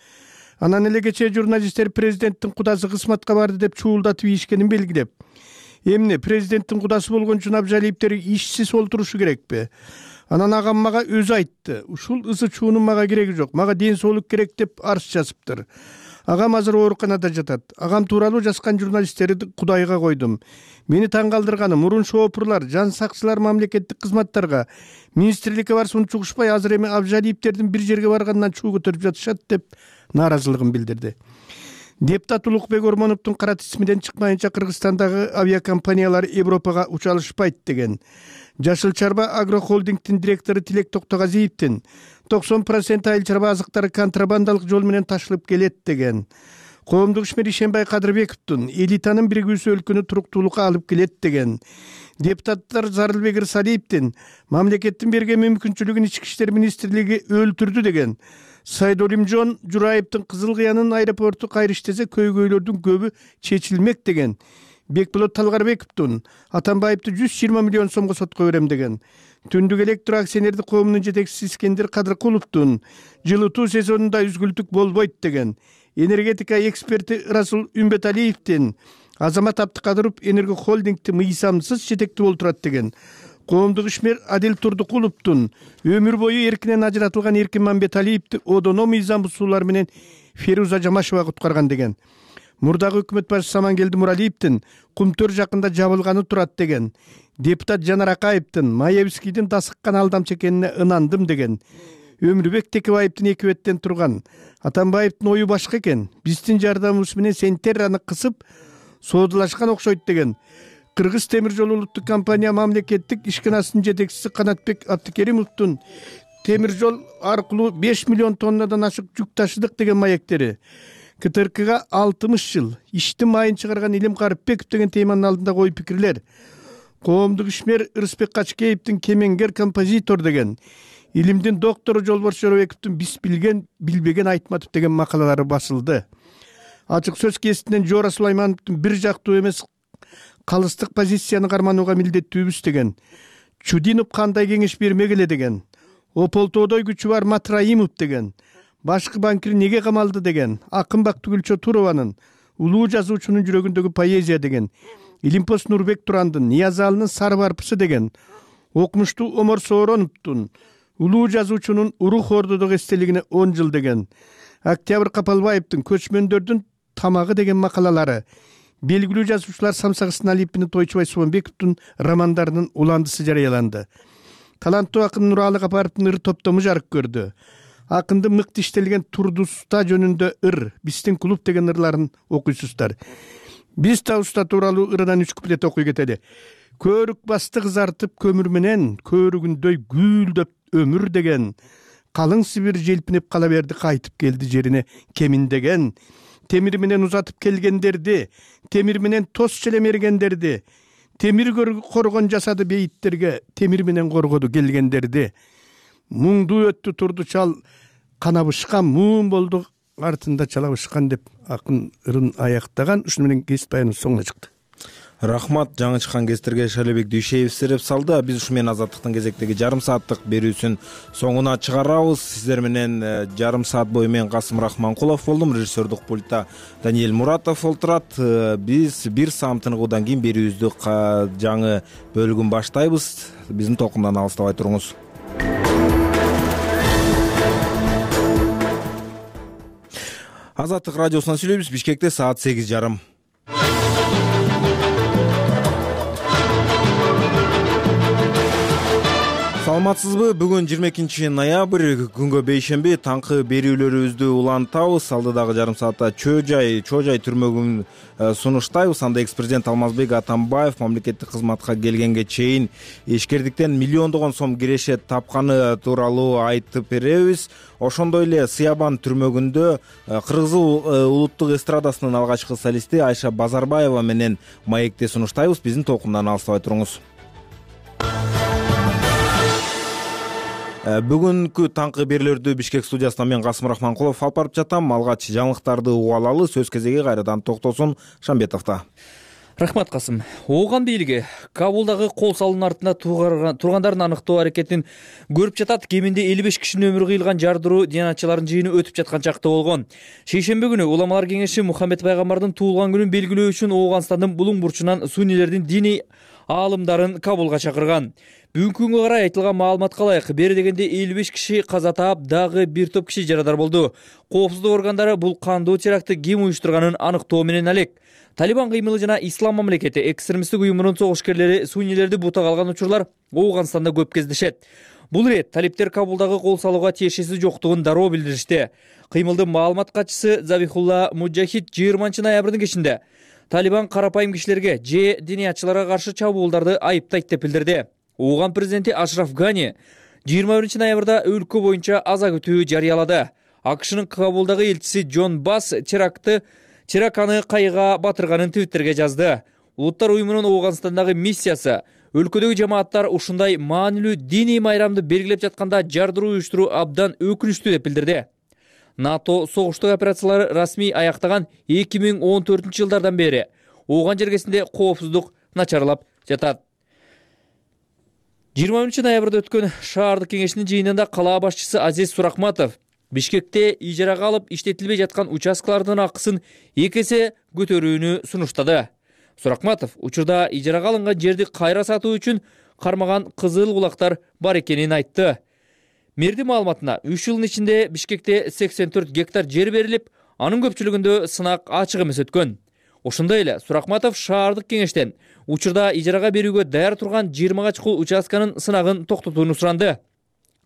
[SPEAKER 17] анан эле кечээ журналисттер президенттин кудасы кызматка барды деп чуулдатып ийишкенин белгилеп, эмне президенттин кудасы болгон үчүн Абжалиевдер ишсиз олтурушу керекпи? Анан агам мага өзү айтты. Ушул ызы чуунун мага кереги жок. Мага ден соолук керек деп арыз жазыптыр. Агам азыр ооруканада жатат. Агам тууралуу жазган журналисттерди Кудайга койдум. Мени таң калтырганы мурун шоопурлар, жан сакчылар мамлекеттик кызматтарга министрликке барса унчугушпай, азыр эми Абжалиевдердин бир жерге баргандан чуу көтөрүп жатышат деп нааразылыгын билдирди. Депутат Улукбек Ормоновдун кара тизимиден чыкмайынча Кыргызстандагы авиакомпаниялар Европага уча алышпайт деген. Жашыл Чарба агрохолдингдин директору Тилек Токтогазиевдин 90% айыл чарба азыктары контрабандалык жол менен ташылып келет деген. Коомдук ишмер Ишенбай Кадырбековдун элитанын биригүүсү өлкөнү туруктуулукка алып келет деген. Депутаттар Зарылбек Ырсалиевдин мамлекеттин берген мүмкүнчүлүгүн Ички иштер министрлиги өлтүрдү деген. Сайдолимжон Жураевдин Кызыл Кыянын аэропорту кайра иштесе көйгөйлөрдүн көбү чечилмек деген. Бекболот Талгарбековдун Атамбаевди 120 миллион сомго сотко берем деген. Түндүк электр акционердик коомунун жетекчиси Искендер Кадыркуловдун жылытуу сезонунда үзгүлтүк болбойт деген. Энергетика эксперти Расул Үмбеталиевдин Азамат Абдыкадыров Энерго холдингти мыйзамсыз жетектеп олтурат деген. Коомдук ишмер Адил Турдукуловдун өмүр бою эркинен ажыратылган Эркин Мамбеталиевди одоно мыйзам бузуулар менен Феруза Жамашева куткарган деген. Мурдагы өкмөт башчысы Самангелди Муралиевдин Кумтөр жакында жабылганы турат деген. Депутат Жанар Акаевдин Маевскийдин дасыккан алдамчы экенине ынандым деген. Өмүрбек Текебаевдин эки беттен турган. Атамбаевдин ою башка экен. Биздин жардамыбыз менен Сентерраны кысып соодалашкан окшойт деген. Кыргыз темир жол улуттук компания мамлекеттик ишканасынын жетекчиси Канатбек Абдыкеримовдун темир жол аркылуу 5 миллион тоннадан ашык жүк ташыдык деген маектери. КТРКга 60 жыл иштин майын чыгарган Илим Карыпбеков деген теманын алдында ой пикирлер. Коомдук ишмер Ырысбек Качкеевдин кемеңгер композитор деген. Илимдин доктору Жолборс Жоробековдун биз билген билбеген Айтматов деген макалалары басылды. Ачык сөз кеситинен Жора Сулаймановдун бир жактуу эмес калыстык позицияны карманууга милдеттүүбүз деген. Чудинов кандай кеңеш бермек эле деген. Ополтоодой күчү бар Матраимов деген. Башкы банкир неге камалды деген. Акынбак Түгүлчө Турованын улуу жазуучунун жүрөгүндөгү поэзия деген. Илимпос Нурбек Турандын Ниязалынын Сары барпысы деген. Окумуштуу Омор Соороновдун улуу жазуучунун Урух Ордодогу эстелигине 10 жыл деген. Октябрь Капалбаевдин Көчмөндөрдүн тамагы деген макалалары. Белгилүү жазуучулар Самсак Ысыналиевдин Тойчубай Суунбековдун романдарынын уландысы жарыяланды. Таланттуу акын Нуралы Капаровдун ыр топтому жарык көрдү. Акындын мыкты иштелген Турдуста жөнүндө ыр, биздин клуб деген ырларын окуйсуздар. Биз да уста тууралуу ырынан 3 куплет окуй кетели. Көрүк басты кызартып көмүр менен, көрүгүндөй гүлдөп өмүр деген. Калың Сибир желпинеп кала берди, кайтып келди жерине кеминдеген. темир менен узатып келгендерди, темир менен тос челемергендерди, темир коргон жасады бейиттерге, темир менен коргоду келгендерди. Муңду өттү турду чал, канабышкан муун болду, артында чалабышкан деп акын ырын аяктаган. Ушуну менен кесип баяныбыз соңуна чыкты.
[SPEAKER 1] Рахмат жаңы чыккан кестерге Шалебек Дүйшеев сереп салды. Биз ушу менен Азаттыктын кезектеги жарым сааттык берүүсүн соңуна чыгарабыз. Сиздер менен жарым саат бою мен Касым Рахманкулов болдум. Режиссердук пультта Даниэль Муратов олтурат. Биз бир саам тыныгуудан кийин берүүбүздү жаңы бөлүгүн баштайбыз. Биздин толкундан алыстабай туруңуз. Азаттык радиосунан сүйлөйбүз. Бишкекте саат 8:30. Саламатсызбы? Бүгүн 22 ноябрь, күнгө бейшемби, таңкы берүүлөрүбүздү улантабыз. Алдыдагы жарым саатта Чоо жай түрмөгүн сунуштайбыз. Анда экс-президент Алмазбек Атамбаев мамлекеттик кызматка келгенге чейин ишкердиктен миллиондогон сом кирешет тапканы тууралуу айтып беребиз. Ошондой эле Сыябан түрмөгүндө Кыргыз улуттук эстрадасынын алгачкы солисти Айша Базарбаева менен маекти сунуштайбыз. Биздин толкундан алыстабай туруңуз. Бүгүнкү таңкы берүүлөрдү Бишкек студиясынан мен Касым Рахманкулов алып барып жатам. Алгач жаңылыктарды угуп алалы. Сөз кезеги кайрадан Токтосун Шамбетовдо.
[SPEAKER 4] Рахмат Касым. Ооган бийлиги Кабулдагы кол салуунун артында тургандардын аныктоо аракетин көрүп жатат. Кеминде 55 кишинин өмүрү кыйылган жардыруу диянатчылардын жыйыны өтүп жаткан чакта болгон. Шейшемби күнү уламалар кеңеши Мухаммед пайгамбардын туулган күнүн белгилөө үчүн Ооганстандын булуң бурчунан суннилердин диний аалымдарын Кабулга чакырган. Бүгүнкү күнгө карай айтылган маалыматка ылайык бери дегенде 55 киши каза таап, дагы бир топ киши жарадар болду. Коопсуздук органдары бул кандуу терактты ким уюштурганын аныктоо менен алек. Талибан кыймылы жана Ислам мамлекети экстремисттик уюмунун согушкерлери суннилерди бутак алган учурлар Ооганстанда көп кездешет. Бул ирет талиптер Кабулдагы кол салууга тиешеси жоктугун дароо билдиришти. Кыймылдын маалымат катчысы Забихулла Муджахид 20 ноябрдын кечинде Талибан карапайым кишилерге же диниятчыларга каршы чабуулдарды айыптайт деп билдирди. Ооган президенти Ашраф Гани 21 ноябрда өлкө боюнча аза күтүү жарыялады. АКШнын Кабулдагы элчиси Джон Басс терактаны кайыга батырганын твиттерге жазды. Улуттар уюмунун Ооганстандагы миссиясы өлкөдөгү жамааттар ушундай маанилүү диний майрамды белгилеп жатканда жардыруу уюштуруу абдан өкүнүчтүү деп билдирди. НАТО согуштук операциялары расмий аяктаган 2014-жылдардан бери Ооган жергесинде коопсуздук начарлап жатат. 20 ноябрда өткөн шаардык кеңешинин жыйынында кала башчысы Азиз Суракматов Бишкекте ижарага алып иштетилбей жаткан участкалардын акысын 2 эсе көтөрүүнү сунуштады. Суракматов учурда ижарага алынган жерди кайра сатуу үчүн кармаган кызыл кулактар бар экенин айтты. Мэрдин маалыматына 3 жылдын ичинде Бишкекте 84 гектар жер берилип, анын көпчүлүгүндө сынак ачык эмес өткөн. Ошондой эле Суракматов шаардык кеңештен учурда ижарага берүүгө даяр турган 20 чукул участканын сынагын токтотууну суранды.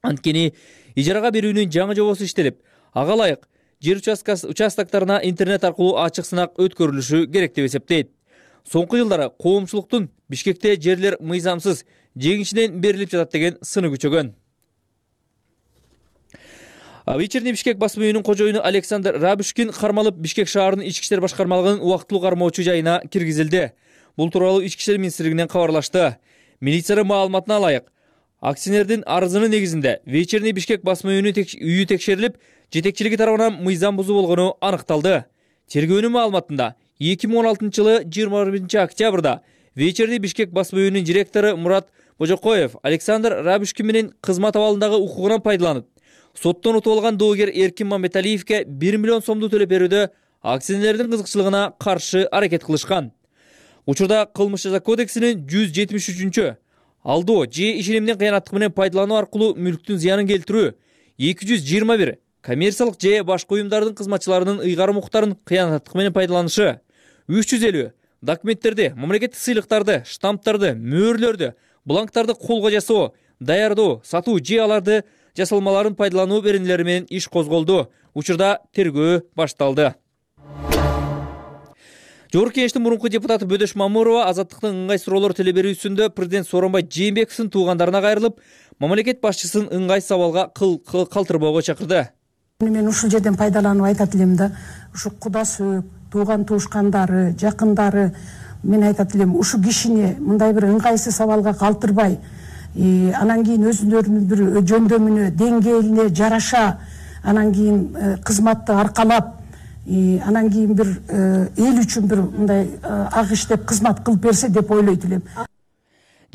[SPEAKER 4] Анткени ижарага берүүнүн жаңы жобосу иштелип, ага ылайык жер участоктарына интернет аркылуу ачык сынак өткөрүлүшү керек деп эсептейт. Соңку жылдары коомчулуктун Бишкекте жерлер мыйзамсыз жеңишинен берилип жатат деген сыны күчөгөн. Вечерний Бишкек басма үйүнүн кожоюну Александр Рабушкин кармалып Бишкек шаарынын ички иштер башкармалыгынын убактылуу кармоочу жайына киргизилди. Бул тууралуу ички иштер министрлигинен кабарлашты. Милициянын маалыматына ылайык, акционердин арызынын негизинде Вечерний Бишкек басма үйү текшерилип, жетекчилиги тарабынан мыйзам бузуу болгону аныкталды. Тергөөнүн маалыматында 2016-жылы 21 октябрда Вечерний Бишкек басма үйүнүн директору Мурат Божокоев Александр Рабушкин менен кызмат абалындагы укугунан пайдаланып, соттон утуп алган доогер Эркин Мамбеталиевке 1 миллион сомду төлөп берүүдө акционердин кызыкчылыгына каршы аракет кылышкан. Учурда кылмыш жаза кодексинин 173-чү алдоо же ишенимдин кыянаттыгы менен пайдалануу аркылуу мүлктүн зыянын келтирүү, 221 коммерциялык же башка уюмдардын кызматчыларынын ыйгарым укуктарын кыянаттык менен пайдаланышы, 350 документтерди, мамлекеттик сыйлыктарды, штамптарды, мөөрлөрдү, бланктарды колго жасоо, даярдоо, сатуу же аларды жасалмаларын пайдалануу беренелери менен иш козголду. Учурда тергөө башталды. Жогорку кеңештин мурунку депутаты Бөдөш Мамурова Азаттыктын ыңгай суроолор телеберүүсүндө президент Сооронбай Жээнбековдун туугандарына кайрылып, мамлекет башчысын ыңгай сабалга калтырбоого чакырды.
[SPEAKER 18] Мен ушул жерден пайдаланып айтат элем да, ушу кудасы, тууган туушкандары, жакындары, мен айтат элем, ушу кишини мындай бир ыңгайсыз абалга калтырбай, анан кийин өзүлөрүнүн бир жөндөмүнө, деңгээлине жараша, анан кийин кызматты аркалап, анан кийин бир эл үчүн бир мындай ак иштеп кызмат кылып берсе деп ойлойт элем.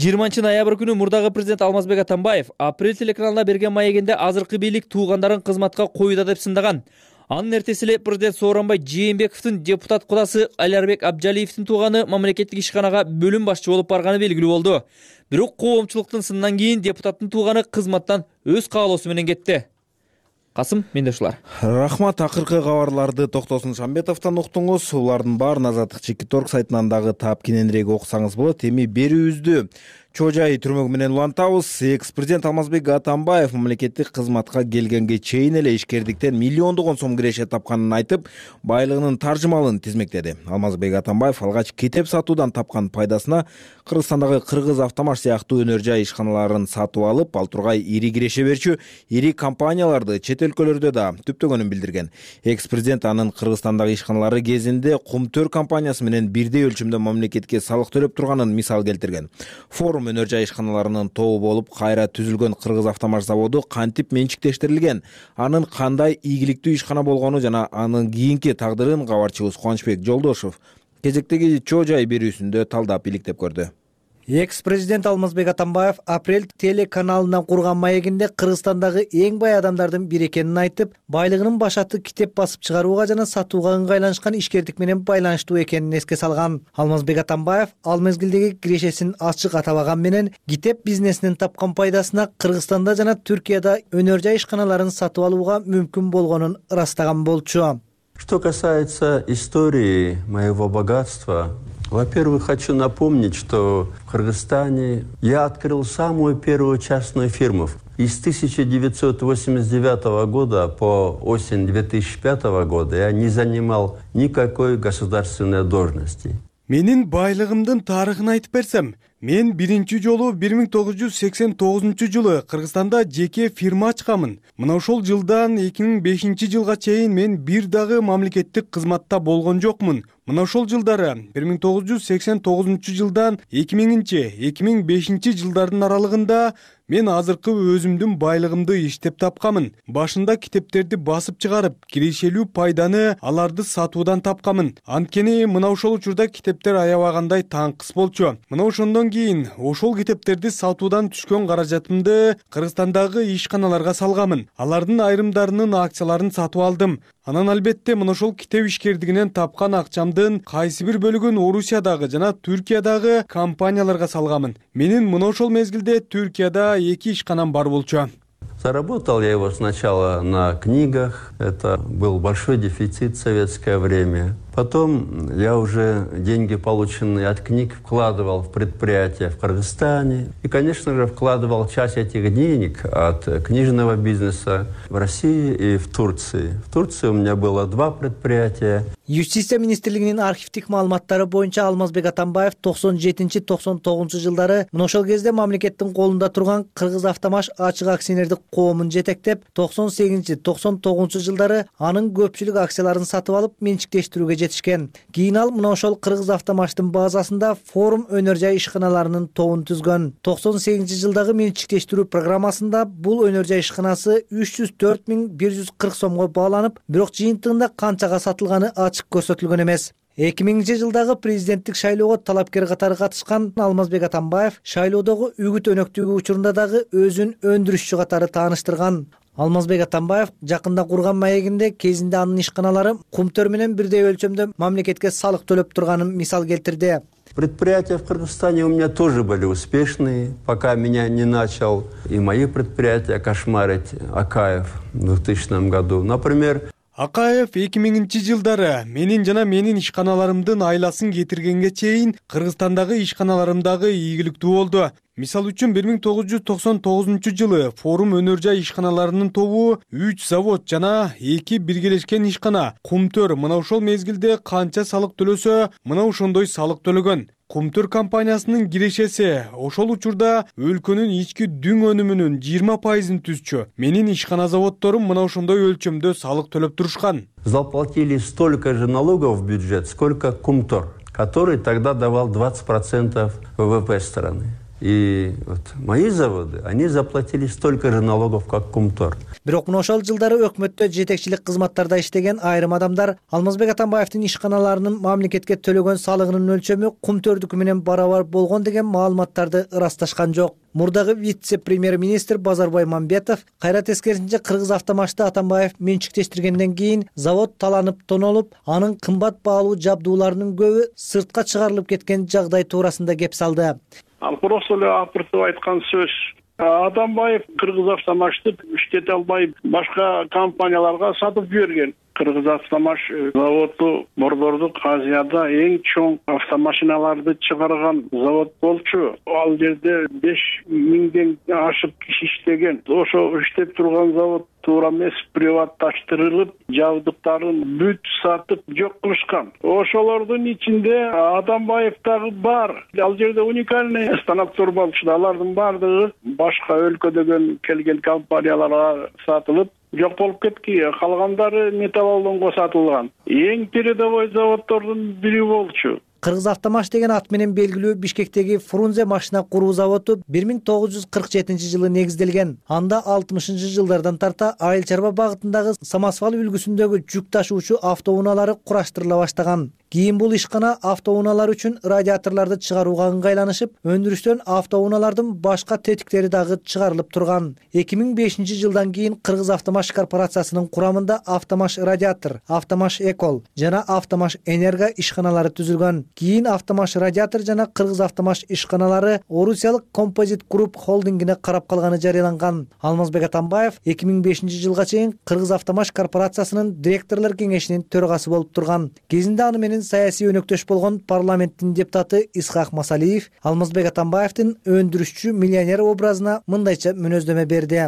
[SPEAKER 4] 20-ноябрь күнү мурдагы президент Алмазбек Атамбаев Апрель телеканалына берген маегинде азыркы бийлик туугандарын кызматка коюуда деп сындаган. Анын эртеси эле президент Сооронбай Жээнбековдун депутат кудасы Алярбек Абжалиевдин тууганы мамлекеттик ишканага бөлүм башчы болуп барганы белгилүү болду. Бирок коомчулуктун сынынан кийин депутаттын тууганы кызматтан өз каалоосу менен кетти. Касым Мендешулар.
[SPEAKER 1] Рахмат, акыркы кабарларды Токтосун Шамбетовдон уктуңуз. Улардын баарын Азаттык Чекиторг сайтынан дагы таап кененирээк окусаңыз болот. Эми берүүбүздү чоо жай түрмөгү менен улантабыз. Экс-президент Алмазбек Атамбаев мамлекеттик кызматка келгенге чейин эле ишкердиктен миллиондогон сом киреше тапканын айтып, байлыгынын таржымалын тизмектеди. Алмазбек Атамбаев алгач китеп сатуудан тапкан пайдасына Кыргызстандагы Кыргыз Автомаш сыяктуу өнөр жай ишканаларын сатып алып, ал тургай ири киреше берчү ири компанияларды чет өлкөлөрдө да түптөгөнүн билдирген. Экс-президент анын Кыргызстандагы ишканалары кезинде Кумтөр компаниясы менен бирдей өлчөмдө мамлекетке салык төлөп турганын мисал келтирген. Форум өнөр жай ишканаларынын тобу болуп кайра түзүлгөн Кыргыз Автомаш заводу кантип менчиктештирилген, анын кандай ийгиликтүү ишкана болгону жана анын кийинки тагдырын кабарчыбыз Кубанычбек Жолдошов кезектеги чоо жай берүүсүндө талдап иликтеп көрдү.
[SPEAKER 6] Экс-президент Алмазбек Атамбаев Апрель телеканалына курган маегинде Кыргызстандагы эң бай адамдардын бири экенин айтып, байлыгынын башаты китеп басып чыгарууга жана сатууга ыңгайланышкан ишкердик менен байланыштуу экенин эске салган. Алмазбек Атамбаев ал мезгилдеги кирешесин ачык атабаган менен китеп бизнесинен тапкан пайдасына Кыргызстанда жана Түркияда өнөр жай ишканаларын сатып алууга мүмкүн болгонун ырастаган болчу.
[SPEAKER 19] Что касается истории моего богатства, во-первых, хочу напомнить, что в Кыргызстане я открыл самую первую частную фирму. И с 1989 года по осень 2005 года я не занимал никакой государственной должности.
[SPEAKER 17] Менин байлыгымдын тарыхын айтып берсем, мен биринчи жолу 1989 Кыргызстанда жеке фирма ачкамын. Мына ошол жылдан 2005 жылга чейин мен бир дагы мамлекеттик кызматта болгон жокмун. Мына ошол жылдары 1989 жылдан 2000-2005 жылдардын аралыгында мен азыркы өзүмдүн байлыгымды иштеп тапкамын. Башында китептерди басып чыгарып, кирешелүү пайданы аларды сатуудан тапкамын. Анткени мына ошол учурда китептер аябагандай таңкыс болчу. Мына ошондон кийин ошол китептерди сатуудан түшкөн каражатымды Кыргызстандагы ишканаларга салгамын. Алардын айрымдарынын акцияларын сатып алдым. Анан албетте мына ошол китеп ишкердигинен тапкан акчамдын кайсы бир бөлүгүн Орусиядагы жана Түркиядагы компанияларга салгамын. Менин мына ошол мезгилде Түркияда 2 ишканам бар болчу.
[SPEAKER 19] Заработал я его сначала на книгах, это был большой дефицит в советское время. Потом я уже деньги, полученные от книг, вкладывал в предприятия в Кыргызстане. И, конечно же, вкладывал часть этих денег от книжного бизнеса в России и в Турции. В Турции у меня было 2 предприятия.
[SPEAKER 6] Юстиция министрлигинин архивдик маалыматтары боюнча Алмазбек Атамбаев 97-99 жылдары мына ошол кезде мамлекеттин колунда турган Кыргыз Автомаш ачык акционердик коомун жетектеп, 98-99 жылдары анын көпчүлүк акцияларын сатып алып менчиктештирүүгө жетишкен. Кийин ал мына ошол Кыргыз Автомаштын базасында Форум өнөр жай ишканаларынын тобун түзгөн. 98 жылдагы менчиктештирүү программасында бул өнөр жай ишканасы 304.140 сомго бааланып, бирок жыйынтыгында канчага сатылганы ачык көрсөтүлгөн эмес. 2000 жылдагы президенттик шайлоого талапкер катары катышкан Алмазбек Атамбаев шайлоодогу үгүт өнөктүгү учурунда дагы өзүн өндүрүшчү катары тааныштырган. Алмазбек Атамбаев жакында курган маегинде кезинде анын ишканалары Кумтөр менен бирдей өлчөмдө мамлекетке салык төлөп турганын мисал келтирди.
[SPEAKER 19] Предприятия в Кыргызстане у меня тоже были успешные, пока меня не начал и мои предприятия кошмарить Акаев в 2000 году. Например,
[SPEAKER 17] Акаев 2000 жылдары менин жана менин ишканаларымдын айласын кетиргенге чейин Кыргызстандагы ишканаларымдагы ийгиликтүү болду. Мисал үчүн 1999 жылы Форум өнөр жай ишканаларынын тобу 3 завод жана 2 биргелешкен ишкана Кумтөр мына ошол мезгилде канча салык төлөсө, мына ошондой салык төлөгөн.
[SPEAKER 20] Кумтөр компаниясынын кирешеси ошол учурда өлкөнүн ички дүң өнүмүнүн 20% түзчү. Менин ишкана заводдорум мына ошондой өлчөмдө салык төлөп турушкан.
[SPEAKER 19] Заплатили столько же налогов в бюджет, сколько Кумтор, который тогда давал 20% ВВП страны. И вот мои заводы, они заплатили столько же налогов, как Кумтор.
[SPEAKER 21] Бирок мына ошол жылдары өкмөттө жетекчилик кызматтарда иштеген айрым адамдар Алмазбек Атамбаевдин ишканаларынын мамлекетке төлөгөн салыгынын өлчөмү Кумтөрдүкү менен барабар болгон деген маалыматтарды ырасташкан жок. Мурдагы вице-премьер-министр Базарбай Мамбетов кайра тескерисинче Кыргыз Автомашты Атамбаев менчиктештиргенден кийин завод таланып тонолуп, анын кымбат баалуу жабдууларынын көбү сыртка чыгарылып кеткен жагдай туурасында кеп салды.
[SPEAKER 22] Ал просто эле апыртып айткан сөз. Атамбаев Кыргыз Автомашты иштете албай башка компанияларга сатып жиберген. Кыргыз Автомаш заводу Борбордук Азияда эң чоң автомашиналарды чыгарган завод болчу. Ал жерде 5000ден ашык киши иштеген. Ошо иштеп турган завод туура эмес приватташтырылып, жабдыктарын бүт сатып жок кылышкан. Ошолордун ичинде Атамбаев дагы бар. Ал жерде уникальный станоктор болчу. Алардын бардыгы башка өлкөдөн келген компанияларга сатылып жок болуп кетти. Калгандары металлоломго сатылган. Эң передовой заводдордун бири болчу.
[SPEAKER 21] Кыргыз Автомаш деген ат менен белгилүү Бишкектеги Фрунзе машина куруу заводу 1947 жылы негизделген. Анда 60-жылдардан тарта айыл чарба багытындагы самосвал үлгүсүндөгү жүк ташуучу автоунаалары кураштырыла баштаган. Кийин бул ишкана автоунаалар үчүн радиаторлорду чыгарууга ыңгайланышып, өндүрүштөн автоунаалардын башка тетиктери дагы чыгарылып турган. 2005 жылдан кийин Кыргыз Автомаш корпорациясынын курамында Автомаш Радиатор, Автомаш Экол жана Автомаш Энерго ишканалары түзүлгөн. Кийин Автомаш Радиатор жана Кыргыз Автомаш ишканалары Орусиялык Композит Групп холдингине карап калганы жарыяланган. Алмазбек Атамбаев 2005 жылга чейин Кыргыз Автомаш корпорациясынын директорлор кеңешинин төрагасы болуп турган. Кезинде аны менен саясий өнөктөш болгон парламенттин депутаты Исхак Масалиев Алмазбек Атамбаевдин өндүрүшчү миллионер образына мындайча мүнөздөмө берди.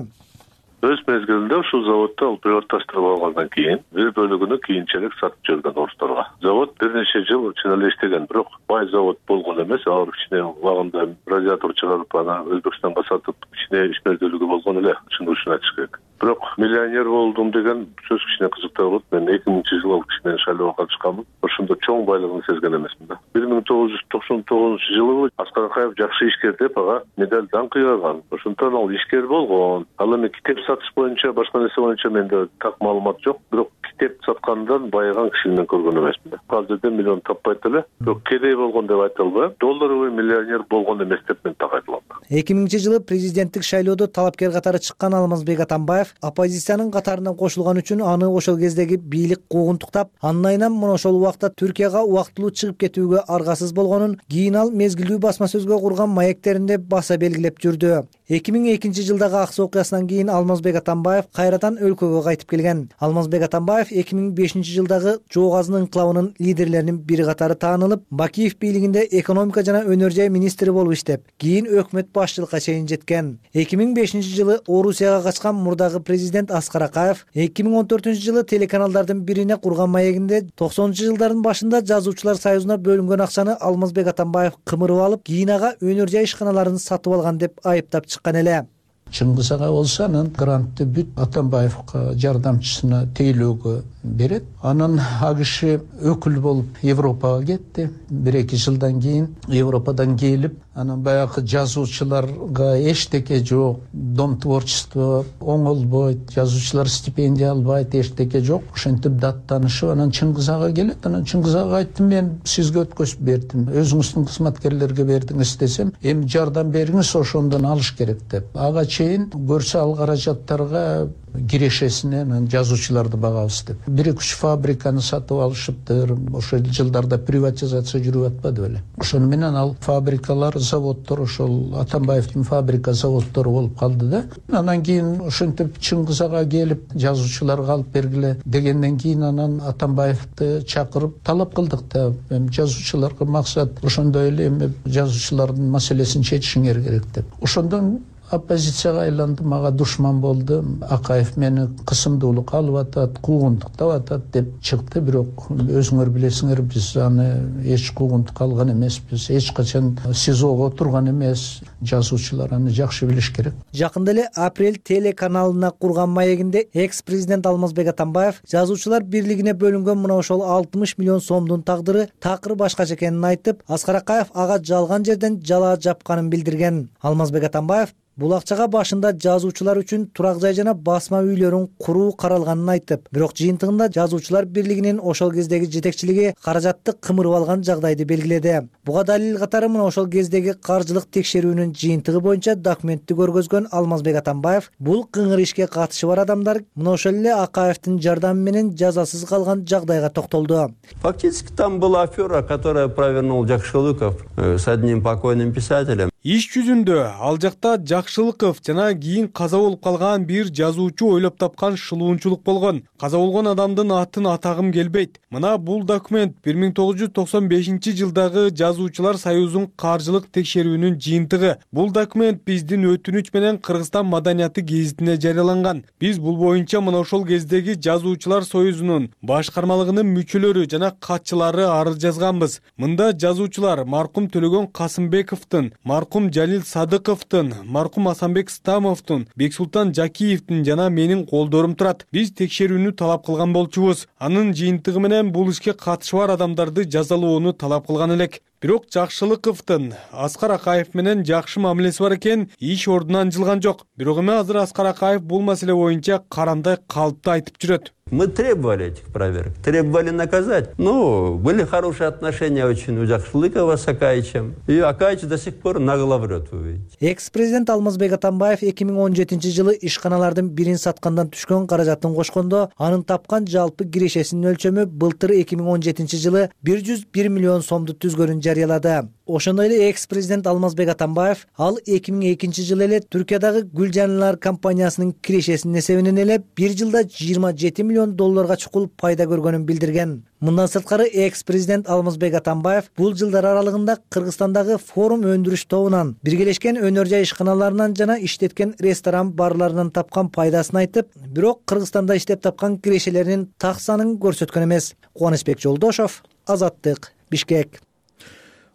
[SPEAKER 23] Өз мезгилинде ушул заводду ал приватташтырып алгандан кийин бир бөлүгүнү кийинчерээк сатып жиберген орусторго. Завод бир нече жыл чын эле иштеген, бирок бай завод болгон эмес. Алар кичине убагында радиатор чыгарып, аны Өзбекстанга сатып, кичине ишмердүүлүгү болгон эле, чын ушуну айтыш керек. Бирок миллионер болдум деген сөз кичине кызыктуу болот. Мен 2000-жылы кичине шайлоого катышканмын. Ошондо чоң байлыгын сезген эмесмин да. 1999-жылы Аскар Акаев жакшы ишкер деп ага медаль даңк ыйгарган. Ошондон ал ишкер болгон. Ал эми китеп сатыш боюнча, башка нерсе боюнча менде так маалымат жок. Бирок китеп саткандан байыган кишини мен көргөн эмесмин. Азырда миллион таппайт эле. Бирок кедей болгон деп айта албайм. Долларовый миллионер болгон эмес деп мен так айта алам.
[SPEAKER 21] 2000-жылы президенттик шайлоодо талапкер катары чыккан Алмазбек Атамбаев оппозициянын катарына кошулган үчүн аны ошол кездеги бийлик куугунтуктап, андан айынан мына ошол убакта Түркияга убактылуу чыгып кетүүгө аргасыз болгонун кийин ал мезгилдүү басма сөзгө курган маектеринде баса белгилеп жүрдү. 2002-жылдагы аксы окуясынан кийин Алмазбек Атамбаев кайрадан өлкөгө кайтып келген. Алмазбек Атамбаев 2005-жылдагы Жоо Азын инкылабынын лидерлеринин бири катары таанылып, Бакиев бийлигинде экономика жана өнөр жай министри болуп иштеп, кийин өкмөт башчылыкка чейин жеткен. 2005-жылы Орусияга качкан мурдагы президент Аскар Акаев 2014-жылы телеканалдардын бирине курган маегинде 90-жылдардын башында жазуучулар союзуна бөлүнгөн акчаны Алмазбек Атамбаев кымырып алып, кийин ага өнөр жай ишканаларын сатып алган деп айыптап чыккан эле.
[SPEAKER 24] Чыңгыз ага болсо анан грантты бүт Атамбаевка жардамчысына тейлөөгө берет. Анан ал киши өкүл болуп Европага кетти. 1-2 жылдан кийин Европадан келип, анан баягы жазуучуларга эчтеке жок, дом творчества оңолбойт, жазуучулар стипендия албайт, эчтеке жок. Ошентип даттанышып, анан Чыңгыз ага келет. Анан Чыңгыз ага айттым, мен сизге өткөзүп бердим. Өзүңүздүн кызматкерлерге бердиңиз десем, эми жардам бериңиз, ошондон алыш керек деп. Ага чейин көрсө ал каражаттарга кирешесинен жазуучуларды багабыз деп. 1-3 фабриканы сатып алышыптыр. Ошол жылдарда приватизация жүрүп атпады беле. Ошону менен ал фабрикалар, заводдор ошол Атамбаевдин фабрика заводдору болуп калды да. Анан кийин ошентип Чыңгыз ага келип жазуучуларга алып бергиле дегенден кийин анан Атамбаевди чакырып талап кылдык да. Эми жазуучуларга максат ошондой эле эми жазуучулардын маселесин чечишиңер керек деп. Ошондон оппозицияга айланды, мага душман болду. Акаев мени кысымдуулукка алып атат, куугунтуктап атат деп чыкты. Бирок өзүңөр билесиңер, биз аны эч куугунтукка алган эмеспиз. Эч качан СИЗОго отурган эмес. Жазуучулар аны жакшы билиш керек.
[SPEAKER 21] Жакында эле Апрель телеканалына курган маегинде экс-президент Алмазбек Атамбаев жазуучулар бирлигине бөлүнгөн мына ошол 60 миллион сомдун тагдыры такыр башкача экенин айтып, Аскар Акаев ага жалган жерден жала жапканын билдирген. Алмазбек Атамбаев бул акчага башында жазуучулар үчүн турак жай жана басма үйлөрүн куруу каралганын айтып, бирок жыйынтыгында жазуучулар бирлигинин ошол кездеги жетекчилиги каражатты кымырып алган жагдайды белгиледи. Буга далил катары мына ошол кездеги каржылык текшерүүнүн жыйынтыгы боюнча документти көргөзгөн Алмазбек Атамбаев бул кыңыр ишке катышы бар адамдар мына ошол эле Акаевдин жардамы менен жазасыз калган жагдайга токтолду.
[SPEAKER 19] Фактически там была афера, которая провернул Жакшылыков с одним покойным писателем.
[SPEAKER 20] Иш жүзүндө ал жакта Жакшылыков жана кийин каза болуп калган бир жазуучу ойлоп тапкан шылуунчулук болгон. Каза болгон адамдын атын атагым келбейт. Мына бул документ 1995-жылдагы Жазуучулар союзунун каржылык текшерүүнүн жыйынтыгы. Бул документ биздин өтүнүч менен Кыргызстан маданияты гезитине жарыяланган. Биз бул боюнча мына ошол кездеги Жазуучулар союзунун башкармалыгынын мүчөлөрү жана катчылары арыз жазганбыз. Мында жазуучулар маркум Төлөгөн Касымбековдун, маркум Жалил Садыковдун, маркум Асанбек Стамовдун, Бексултан Жакиевдин жана менин колдорум турат. Биз текшерүүнү талап кылган болчубуз. Анын жыйынтыгы менен бул ишке катышы бар адамдарды жазалоону талап кылган элек. Бирок Жакшылыковдун Аскар Акаев менен жакшы мамилеси бар экен, иш ордунан жылган жок. Бирок эми азыр Аскар Акаев бул маселе боюнча карандай калыпты айтып жүрөт.
[SPEAKER 19] Мы требовали этих проверок, требовали наказать. Ну, были хорошие отношения очень у Жакшылыкова с Акаевичем. И Акаевич до сих пор нагло врет, вы видите.
[SPEAKER 21] Экс-президент Алмазбек Атамбаев 2017-жылы ишканалардын бирин саткандан түшкөн каражатын кошкондо, анын тапкан жалпы кирешесинин өлчөмү былтыр 2017-жылы 101 миллион сомду түзгөнүн жарыялады. Ошондой эле экс-президент Алмазбек Атамбаев ал 2002-жылы эле Түркиядагы Гүлжанлар компаниясынын кирешесинин эсебинен эле бир жылда 27 миллион долларга чукул пайда көргөнүн билдирген. Мындан сырткары экс-президент Алмазбек Атамбаев бул жылдар аралыгында Кыргызстандагы форум өндүрүш тобунан, биргелешкен өнөр жай ишканаларынан жана иштеткен ресторан барларынан тапкан пайдасын айтып, бирок Кыргызстанда иштеп тапкан кирешелеринин так санын көрсөткөн эмес. Кубанычбек Жолдошов, Азаттык, Бишкек.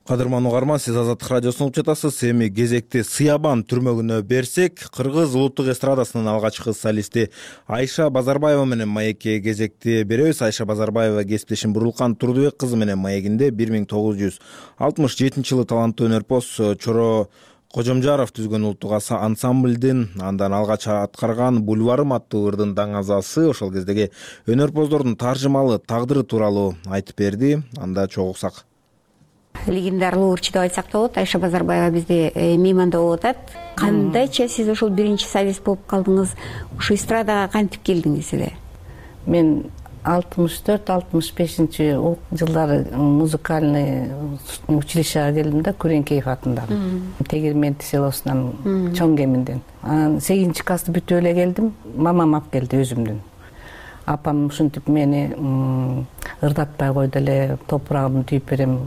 [SPEAKER 1] Кадырман угарман, сиз Азаттык радиосун угуп жатасыз. Эми кезекти Сыябан түрмөгүнө берсек, Кыргыз улуттук эстрадасынын алгачкы солисти Айша Базарбаева менен маекке кезекти беребиз. Айша Базарбаева кесиптешим Бурулкан Турдубек кызы менен маегинде 1967-жылы таланттуу өнөрпоз Чоро Кожомжаров түзгөн улуттук ансамблдин андан алгач аткарган Бульварым аттуу ырдын даңазасы ошол кездеги өнөрпоздордун таржымалы тагдыры тууралуу айтып берди. Анда чогуу уксак.
[SPEAKER 2] Легендарлуу урчу деп айтсак да болот. Айша Базарбаева бизде мейманда болуп атат. Кандайча сиз ошол биринчи солист болуп калдыңыз? Ушу эстрадага кантип келдиңиз эле?
[SPEAKER 5] Мен 64-65-жылдары музыкальный училищеге келдим да, Күреңкеев атындагы. Тегирменти селосунан чоң кеминден. 8-чи классты бүтүп эле келдим. Мамам алып келди өзүмдүн. Апам ушинтип мени ырдатпай койду эле, топурагымды түйүп берем,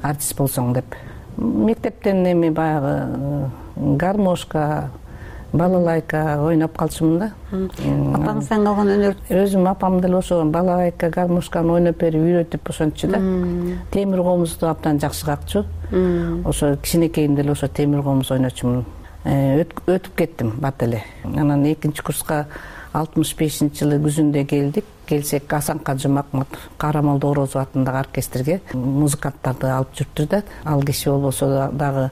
[SPEAKER 5] артист болсоң деп. Мектептен эми баягы гармошка, балалайка ойноп калчумун да.
[SPEAKER 2] Апаңыздан калган өнөр?
[SPEAKER 5] Өзүм апам деле ошо балалайка, гармошканы ойноп берип үйрөтүп ошончу да. Темир комузду абдан жакшы какчу. Ошо кичинекейимде деле ошо темир комуз ойночумун. Өтүп кеттим бат эле. Анан 2-чи курска 65-жылы күзүндө келдик. Келсек Асан Кажы Макмут Карамолдо Орозов атындагы оркестрге музыканттарды алып жүрүптүр да. Ал киши болбосо дагы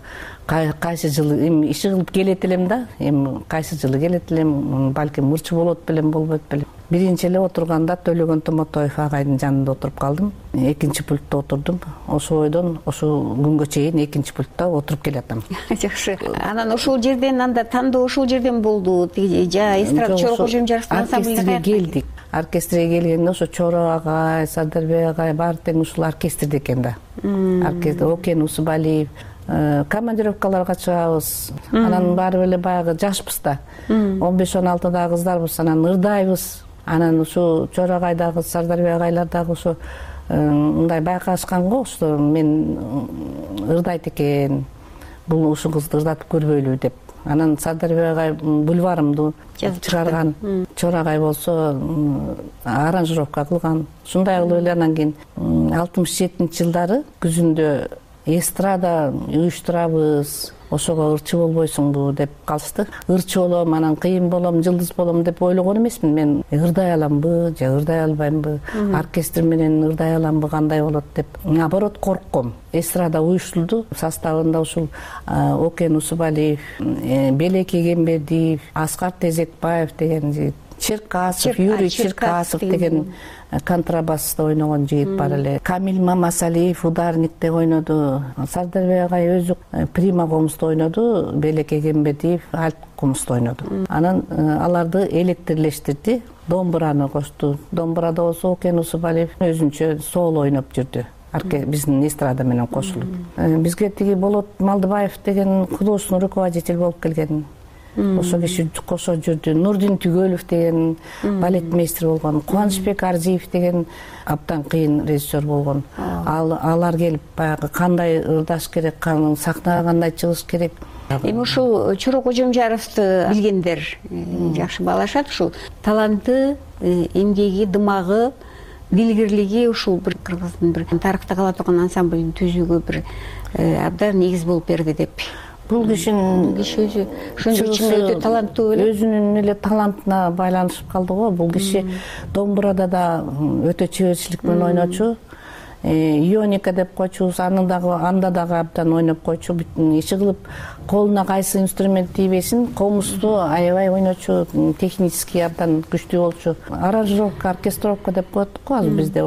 [SPEAKER 5] кайсы жылы эми иши кылып келет элем да. Эми кайсы жылы келет элем, балким мурчу болот белем, болбойт белем. Биринчи эле отурганда Төлөгөн Томотоев агайдын жанында отуруп калдым. 2-чи пультта отурдум. Ошо бойдон ошо күнгө чейин 2-чи пультта отуруп келатам.
[SPEAKER 2] Жакшы. Анан ошол жерден анда тандоо ошол жерден болду. Жа эстрада Чоро Кожомжаровдун ансамблине
[SPEAKER 5] келдик. Оркестрге келгенде ошо Чоро агай, Сардарбек агай баары тең ушул оркестрде экен да. Оркестр Окен Усубалиев, командировкаларга чыгабыз. Анан баары эле баягы жашпыз да. 15-16 кыздарбыз, анан ырдайбыз. Анан ушу Чоро агай дагы, Сардарбек агайлар дагы ошо мындай байкашкан го, ошо мен ырдайт экен, бул ушу кызды ырдатып көрбөйлү деп. Анан Сардарбек агай бульварымды чыгарган, Чор агай болсо аранжировка кылган. Ушундай кылып эле анан кийин 67-жылдары күзүндө эстрада уюштурабыз, ошого ырчы болбойсуңбу деп калышты. Ырчы болом, анан кыйын болом, жылдыз болом деп ойлогон эмесмин. Мен ырдай аламбы же ырдай албаймбы, оркестр менен ырдай аламбы, кандай болот деп. Наоборот коркком. Эстрада уюштурду. Составында ушул Окен Усубалиев, Белек Эгембердиев, Аскар Тезекбаев деген, Черкасов, Юрий Черкасов деген контрабаста ойногон жигит бар эле. Камил Мамасалиев ударникте ойноду. Сардарбек агай өзү прима комузду ойноду, Белек Эгембердиев альт комузду ойноду. Анан аларды электрлештирди, домбураны кошту. Домбурада болсо Окен Усубалиев өзүнчө соло ойноп жүрдү. Биздин эстрада менен кошулуп. Бизге тиги Болот Малдыбаев деген художественный руководитель болуп келген. Ошо киши кошо жүрдү. Нурдин Түгөлов деген балетмейстер болгон. Кубанычбек Арзиев деген абдан кыйын режиссер болгон. Алар келип баягы кандай ырдаш керек, сахнага кандай чыгыш керек.
[SPEAKER 2] Эми ушул Чорок Кожомжаровду билгендер жакшы баалашат. Ушул таланты, эмгеги, дымагы, билгирлиги ушул бир кыргыздын бир тарыхта кала турган ансамблдин түзүүгө бир абдан негиз болуп берди деп.
[SPEAKER 5] Бул кишинин
[SPEAKER 2] өзү ошондой ичинде өтө таланттуу эле.
[SPEAKER 5] Өзүнүн эле талантына байланышып калды го. Бул киши домбурада да өтө чеберчилик менен ойночу. Ионика деп койчубуз, анда дагы абдан ойноп койчу. Иши кылып колуна кайсы инструмент тийбесин, комузду аябай ойночу, технически абдан күчтүү болчу. Аранжировка, оркестровка деп коет го азыр бизде,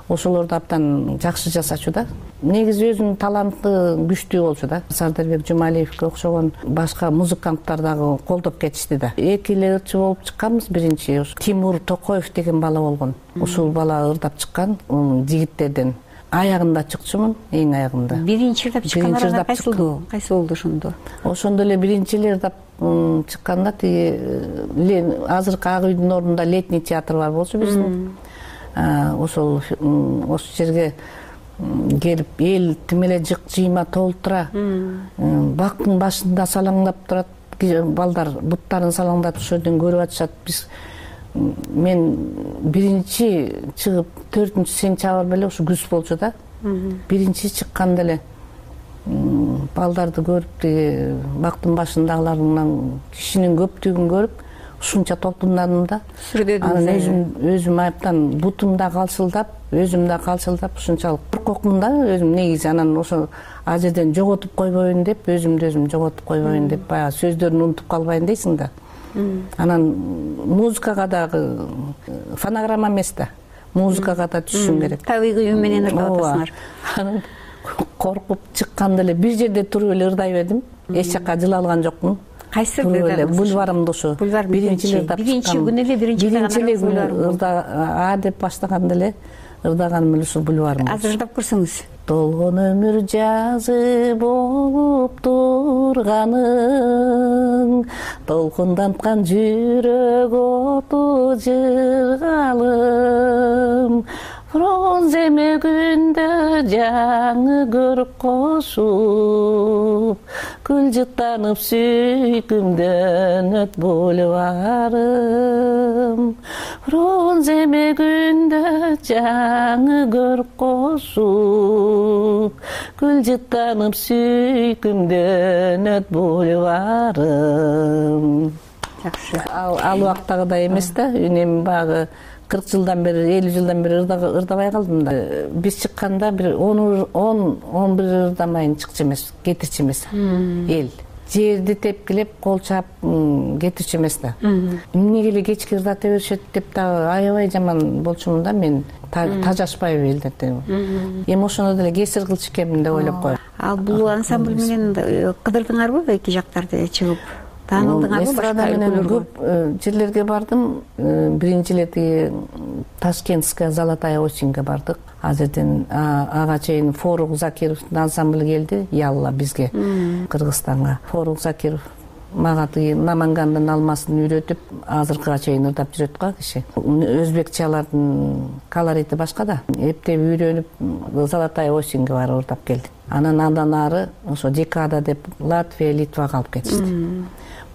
[SPEAKER 5] ошолорду абдан жакшы жасачу да. Негизи өзүнүн таланты күчтүү болчу да. Сардарбек Жумалиевке окшогон башка музыканттар дагы колдоп кетишти да. Эки эле ырчы болуп чыкканбыз биринчи. Тимур Токоев деген бала болгон. Ушул бала ырдап чыккан жигиттерден. Аягында чыкчумун, эң аягында.
[SPEAKER 2] Биринчи ырдап чыккан кайсы болду ошондо?
[SPEAKER 5] Ошондо эле биринчи эле ырдап чыкканда тиги азыркы Ак үйдүн ордунда летний театр бар болчу биздин. Ошол жерге келип эл тим эле жыйма толтура, бактын башында салаңдап турат, балдар буттарын салаңдатып ошол жерден көрүп атышат. Мен биринчи чыгып 4 сентябрь беле ушу күз болчу да. Биринчи чыкканда эле балдарды көрүп, бактын башындагылардан кишинин көптүгүн көрүп, ушунча толкундадым да. Анан өзүм айыптан бутум да калчылдап, өзүм да калчылдап, ушунчалык коркокмун да өзүм негизи. Анан ошо ал жерден жоготуп койбойюн деп, өзүмдү өзүм жоготуп койбойюн деп, баягы сөздөрүн унутуп калбайын дейсиң да. Анан музыкага дагы фонограмма эмес да, музыкага да түшүшүң керек.
[SPEAKER 2] Табигый үн менен ырдап атасыңар.
[SPEAKER 5] Анан коркуп чыкканда эле бир жерде туруп эле ырдай бердим. Эч жака жыла алган жокмун.
[SPEAKER 2] Кайсы
[SPEAKER 5] бульварымды ушу биринчи
[SPEAKER 2] күнү эле
[SPEAKER 5] биринчи ырда деп баштаганда эле ырдаганым эле ушул бульварым.
[SPEAKER 2] Азыр ырдап көрсөңүз.
[SPEAKER 5] Толгон өмүр жазы болуп турганың, толкунданткан жүрөк оту жыргалым, бронз эмегүндө жаңы көрүп кошуп, кылжыктанып сүйкүмдөн өт бульварым, бронз эмегүндө жаңы көрүп кошуп, кылжыктанып сүйкүмдөн өт бульварым.
[SPEAKER 2] Жакшы.
[SPEAKER 5] Ал убактагыдай эмес да, үнем багы 40 жылдан бери, 50 жылдан бери ырдабай калдым да. Биз чыкканда бир 10-11 ырдамайын чыкчу эмес, кетирчү эмес. Эл жерди тепкилеп, кол чаап кетирчү эмес да. Эмнеге эле кечки ырдата беришет деп дагы аябай жаман болчумун да мен. Тажашпайбы элдерди. Эми ошондо деле кесир кылчу экенмин деп ойлоп коем.
[SPEAKER 2] Ал бул ансамбль менен кыдырдыңарбы эки жактарды чыгып? Таанылдыңарбы?
[SPEAKER 5] Эстрада менен көп жерлерге бардым. Биринчи эле тиги Ташкентская Золотая осеньге бардык. Ал жерден ага чейин Форук Закировдун ансамблы келди, Ялла бизге, Кыргызстанга. Форук Закиров мага тиги Намангандын алмасын үйрөтүп азыркыга чейин ырдап жүрөт го киши. Өзбекчалардын колорити башка да. Эптеп үйрөнүп Золотая осеньге барып ырдап келдик. Андан ары ошо декада деп Латвия, Литвага алып кетишти.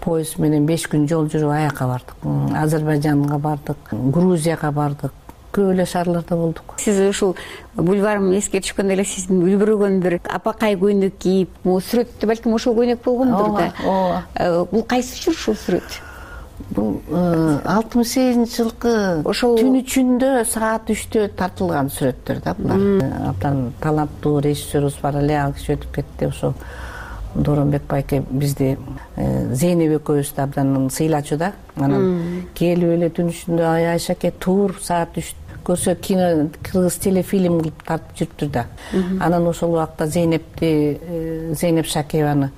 [SPEAKER 5] Поезд менен 5 күн жол жүрүп аяка бардык. Азербайжанга бардык, Грузияга бардык. Көп эле шаарларда болдук.
[SPEAKER 2] Сиз ушул бульварымды эске түшкөндө эле сиздин үлбүрөгөн бир апакай көйнөк кийип, могу сүрөттө балким ошол көйнөк болгондур да. Ооба. Бул кайсы жыл ушул сүрөт?
[SPEAKER 5] Бул 68 жылкы ошол түн ичинде саат 3-тө тартылган сүрөттөр да булар. Абдан таланттуу режиссерубуз бар эле, ал киши өтүп кетти. Ошо Доронбек байке бизди Зейнеп экөөбүздү абдан сыйлачу да. Анан келип эле түн ичинде Айшаке тур саат 3 көрсө кино кыргыз телефильм кылып тартып жүрүптүр да. Анан ошол убакта Зейнеп Шакиеваны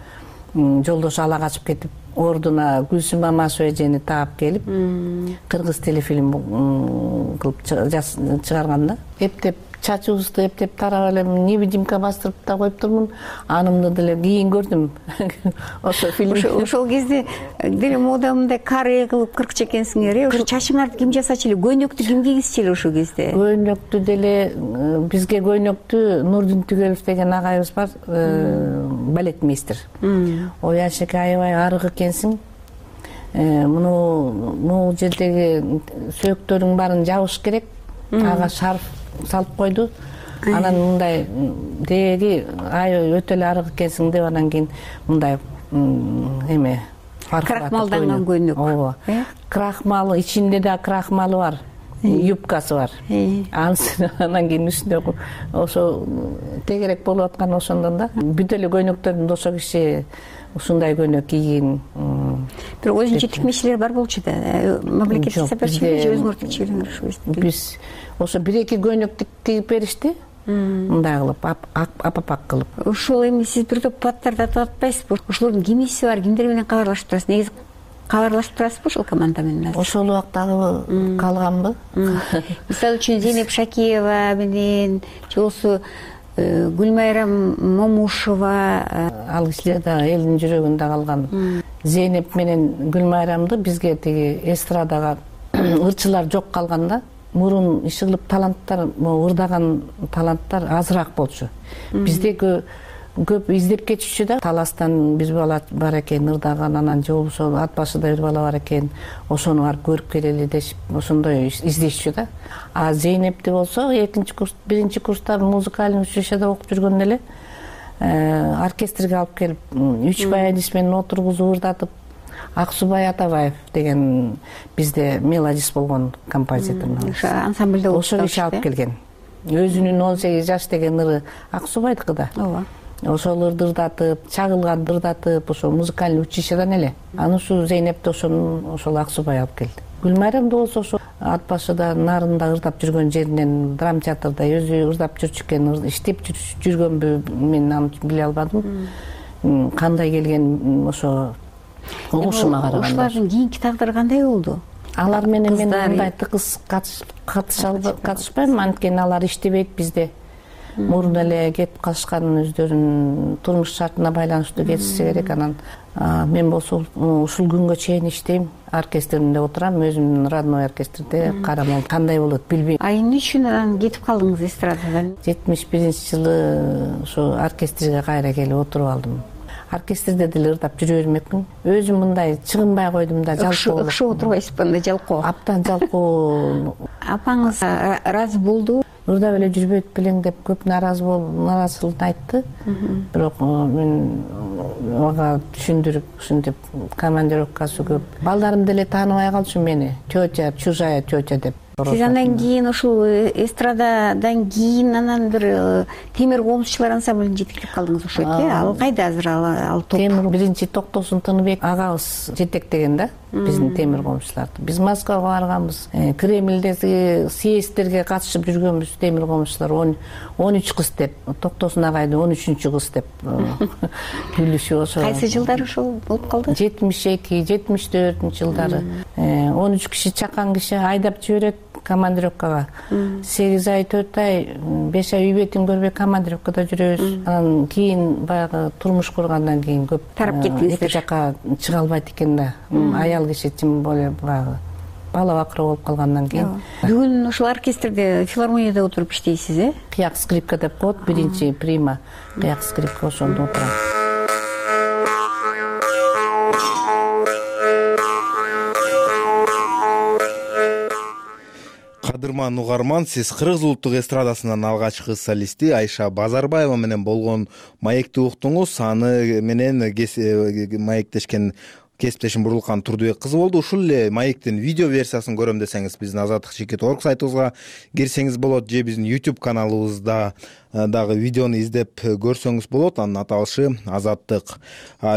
[SPEAKER 5] жолдошу ала качып кетип, ордуна Гүлсүм Мамашева эжени таап келип, кыргыз телефильм кылып чыгарган да. Эптеп чачыбызды эптеп тарап эле невидимка бастырып да коюптурмун. Анымды деле кийин көрдүм. Ошо фильм.
[SPEAKER 2] Ошол кезде деле модамда каре кылып кырк чекенсиңер. Ошо чачыңарды ким жасачу эле? Көйнөктү ким кийгизчү эле ошол кезде?
[SPEAKER 5] Көйнөктү деле бизге көйнөктү Нурдин Түгелов деген агайыбыз бар, балетмейстер. Ой Айшеке аябай арык экенсиң. Могу жердеги сөөктөрүң баарын жабыш керек. Ага шарф салып койду. Анан мындай деги аябай өтө эле арык экенсиң деп анан кийин мындай эме
[SPEAKER 2] крахмалданган көйнөк.
[SPEAKER 5] Ооба. Крахмалы ичинде да крахмалы бар. Юбкасы бар. Анан кийин үстүндө ошо тегерек болуп аткан ошондон да. Бүт эле көйнөктөрдүн ошо киши ушундай көйнөк кийген.
[SPEAKER 2] Бир өзүнчө тикмечилер бар болчу да. Мамлекеттик сапарчылык же өзүңөр тикчилиңер ошо кезде.
[SPEAKER 5] Биз ошо 1-2 көйнөк тигип беришти. Мындай кылып, апапак кылып.
[SPEAKER 2] Ошол эми сиз бир топ аттарды атап атпайсызбы? Ошолордун кимиси бар, кимдер менен кабарлашып турасыз? Негизи кабарлашып турасызбы ошол команда менен?
[SPEAKER 5] Ошол убактагы калганбы?
[SPEAKER 2] Мисалы үчүн Зейнеп Шакиева менен, же болбосо Гүлмайрам Момушева,
[SPEAKER 5] ал кишилер да элдин жүрөгүндө калган. Зейнеп менен Гүлмайрамды бизге тиги эстрадага ырчылар жок калган да. Мурун иши кылып таланттар, ырдаган таланттар азыраак болчу. Бизде көп издеп кетишчү да. Таластан бир бала бар экен ырдаган, анан же болбосо ат башыда бир бала бар экен, ошону барып көрүп келели дешип, ошондой издешчү да. А Зейнепти болсо 2-чи курс, 1-чи курста музыкалный училищеде окуп жүргөндө эле оркестрге алып келип, 3 баянист менен отургузуп ырдатып, Аксубай Атабаев деген бизде мелодист болгон композитор.
[SPEAKER 2] Ошо ансамблде
[SPEAKER 5] ошо киши алып келген. Өзүнүн 18 жаш деген ыры Аксубайдыкы да.
[SPEAKER 2] Ооба.
[SPEAKER 5] Ошол ырды ырдатып, чагылган ырдатып, ошо музыкалный училищеден эле. Аны ушу Зейнепти ошол Аксубай алып келди. Гүлмайрамды болсо ошо ат башыда нарында ырдап жүргөн жеринен драм театрда өзү ырдап жүрчү экен, иштеп жүргөнбү мен аны биле албадым. Кандай келген ошо угушума караганда.
[SPEAKER 2] Ошолордун кийинки тагдыры кандай болду?
[SPEAKER 5] Алар менен мен мындай тыгыз катышпайм, анткени алар иштебейт бизде. Мурун эле кетип калышкан, өздөрүнүн турмуш шартына байланыштуу кетишсе керек. Анан мен болсо ушул күнгө чейин иштейм, оркестримде отурам, өзүмдүн родной оркестрде карамам кандай болот билбейм.
[SPEAKER 2] А эмне үчүн анан кетип калдыңыз эстрададан?
[SPEAKER 5] 71-жылы ошо оркестрге кайра келип отуруп алдым. Оркестрде деле ырдап жүрө бермекмин. Өзүм мындай чыгынбай койдум да, жалкоо.
[SPEAKER 2] Окшоп отурбайсызбы анда, жалкоо?
[SPEAKER 5] Абдан жалкоо.
[SPEAKER 2] Апаңыз ыраазы болду?
[SPEAKER 5] Ырдап эле жүрбөйт белең деп көп нааразылыгын айтты. Бирок мен ага түшүндүрүп, ушинтип командировкасы көп. Балдарым деле тааныбай калчу мени. Тётя, чужая тётя деп.
[SPEAKER 2] Сиз андан кийин ушул эстрададан кийин анан бир темир комузчулар ансамблине жетектеп калдыңыз ошо э? Ал кайда азыр ал топ?
[SPEAKER 5] Темир биринчи Токтосун Тыныбек агабыз жетектеген да биздин темир комузчуларды. Биз Москвага барганбыз. Кремлдеги съезддерге катышып жүргөнбүз темир комузчулар 13 кыз деп. Токтосун агайды 13-чү кыз деп күлүшүп ошо.
[SPEAKER 2] Кайсы жылдары ошол болуп калды?
[SPEAKER 5] 72, 74 жылдары. 13 киши чакан киши айдап жиберет. командировкага 8 ай 4 ай 5 ай үй бетин көрбөй командировкада жүрөбүз. Анан кийин баягы турмуш кургандан кийин көп
[SPEAKER 2] тарап кеттиңиздер.
[SPEAKER 5] Эки жака чыга албайт экен да. Аял киши тим более баягы бала бакыры болуп калгандан кийин.
[SPEAKER 2] Бүгүн ушул оркестрде, филармонияда отуруп иштейсиз,
[SPEAKER 5] Кыяк скрипка деп коет, биринчи прима кыяк скрипка, ошондо отурам.
[SPEAKER 1] Кадырман угарман, сиз Кыргыз улуттук эстрадасынын алгачкы солисти Айша Базарбаева менен болгон маекти уктуңуз. Аны менен маектешкен кесиптешим Бурурлукан Турдубек кызы болду. Ушул эле маектин видео версиясын көрөм десеңиз, биздин azatlyk.org сайтыбызга кирсеңиз болот, же биздин YouTube каналыбызда дагы видеону издеп көрсөңүз болот. Анын аталышы Азаттык.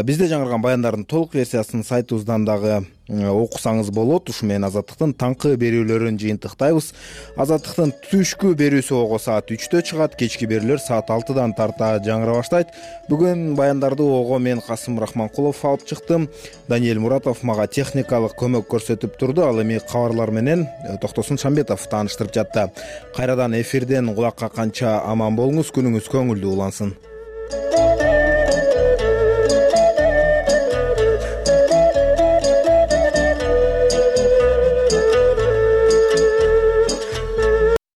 [SPEAKER 1] Бизде жаңырган баяндардын толук версиясын сайтыбыздан дагы окусаңыз болот. Ушу менен Азаттыктын таңкы берүүлөрүн жыйынтыктайбыз. Азаттыктын түшкү берүүсү ого саат 3-тө чыгат, кечки берүүлөр саат 6-дан тарта жаңыра баштайт. Бүгүн баяндарды ого мен Касым Рахманкулов алып чыктым. Даниэль Муратов мага техникалык көмөк көрсөтүп турду. Ал эми кабарлар менен Токтосун Шамбетов тааныштырып жатты. Кайрадан эфирден кулакка канча аман болуңуз, күнүңүз көңүлдүү улансын.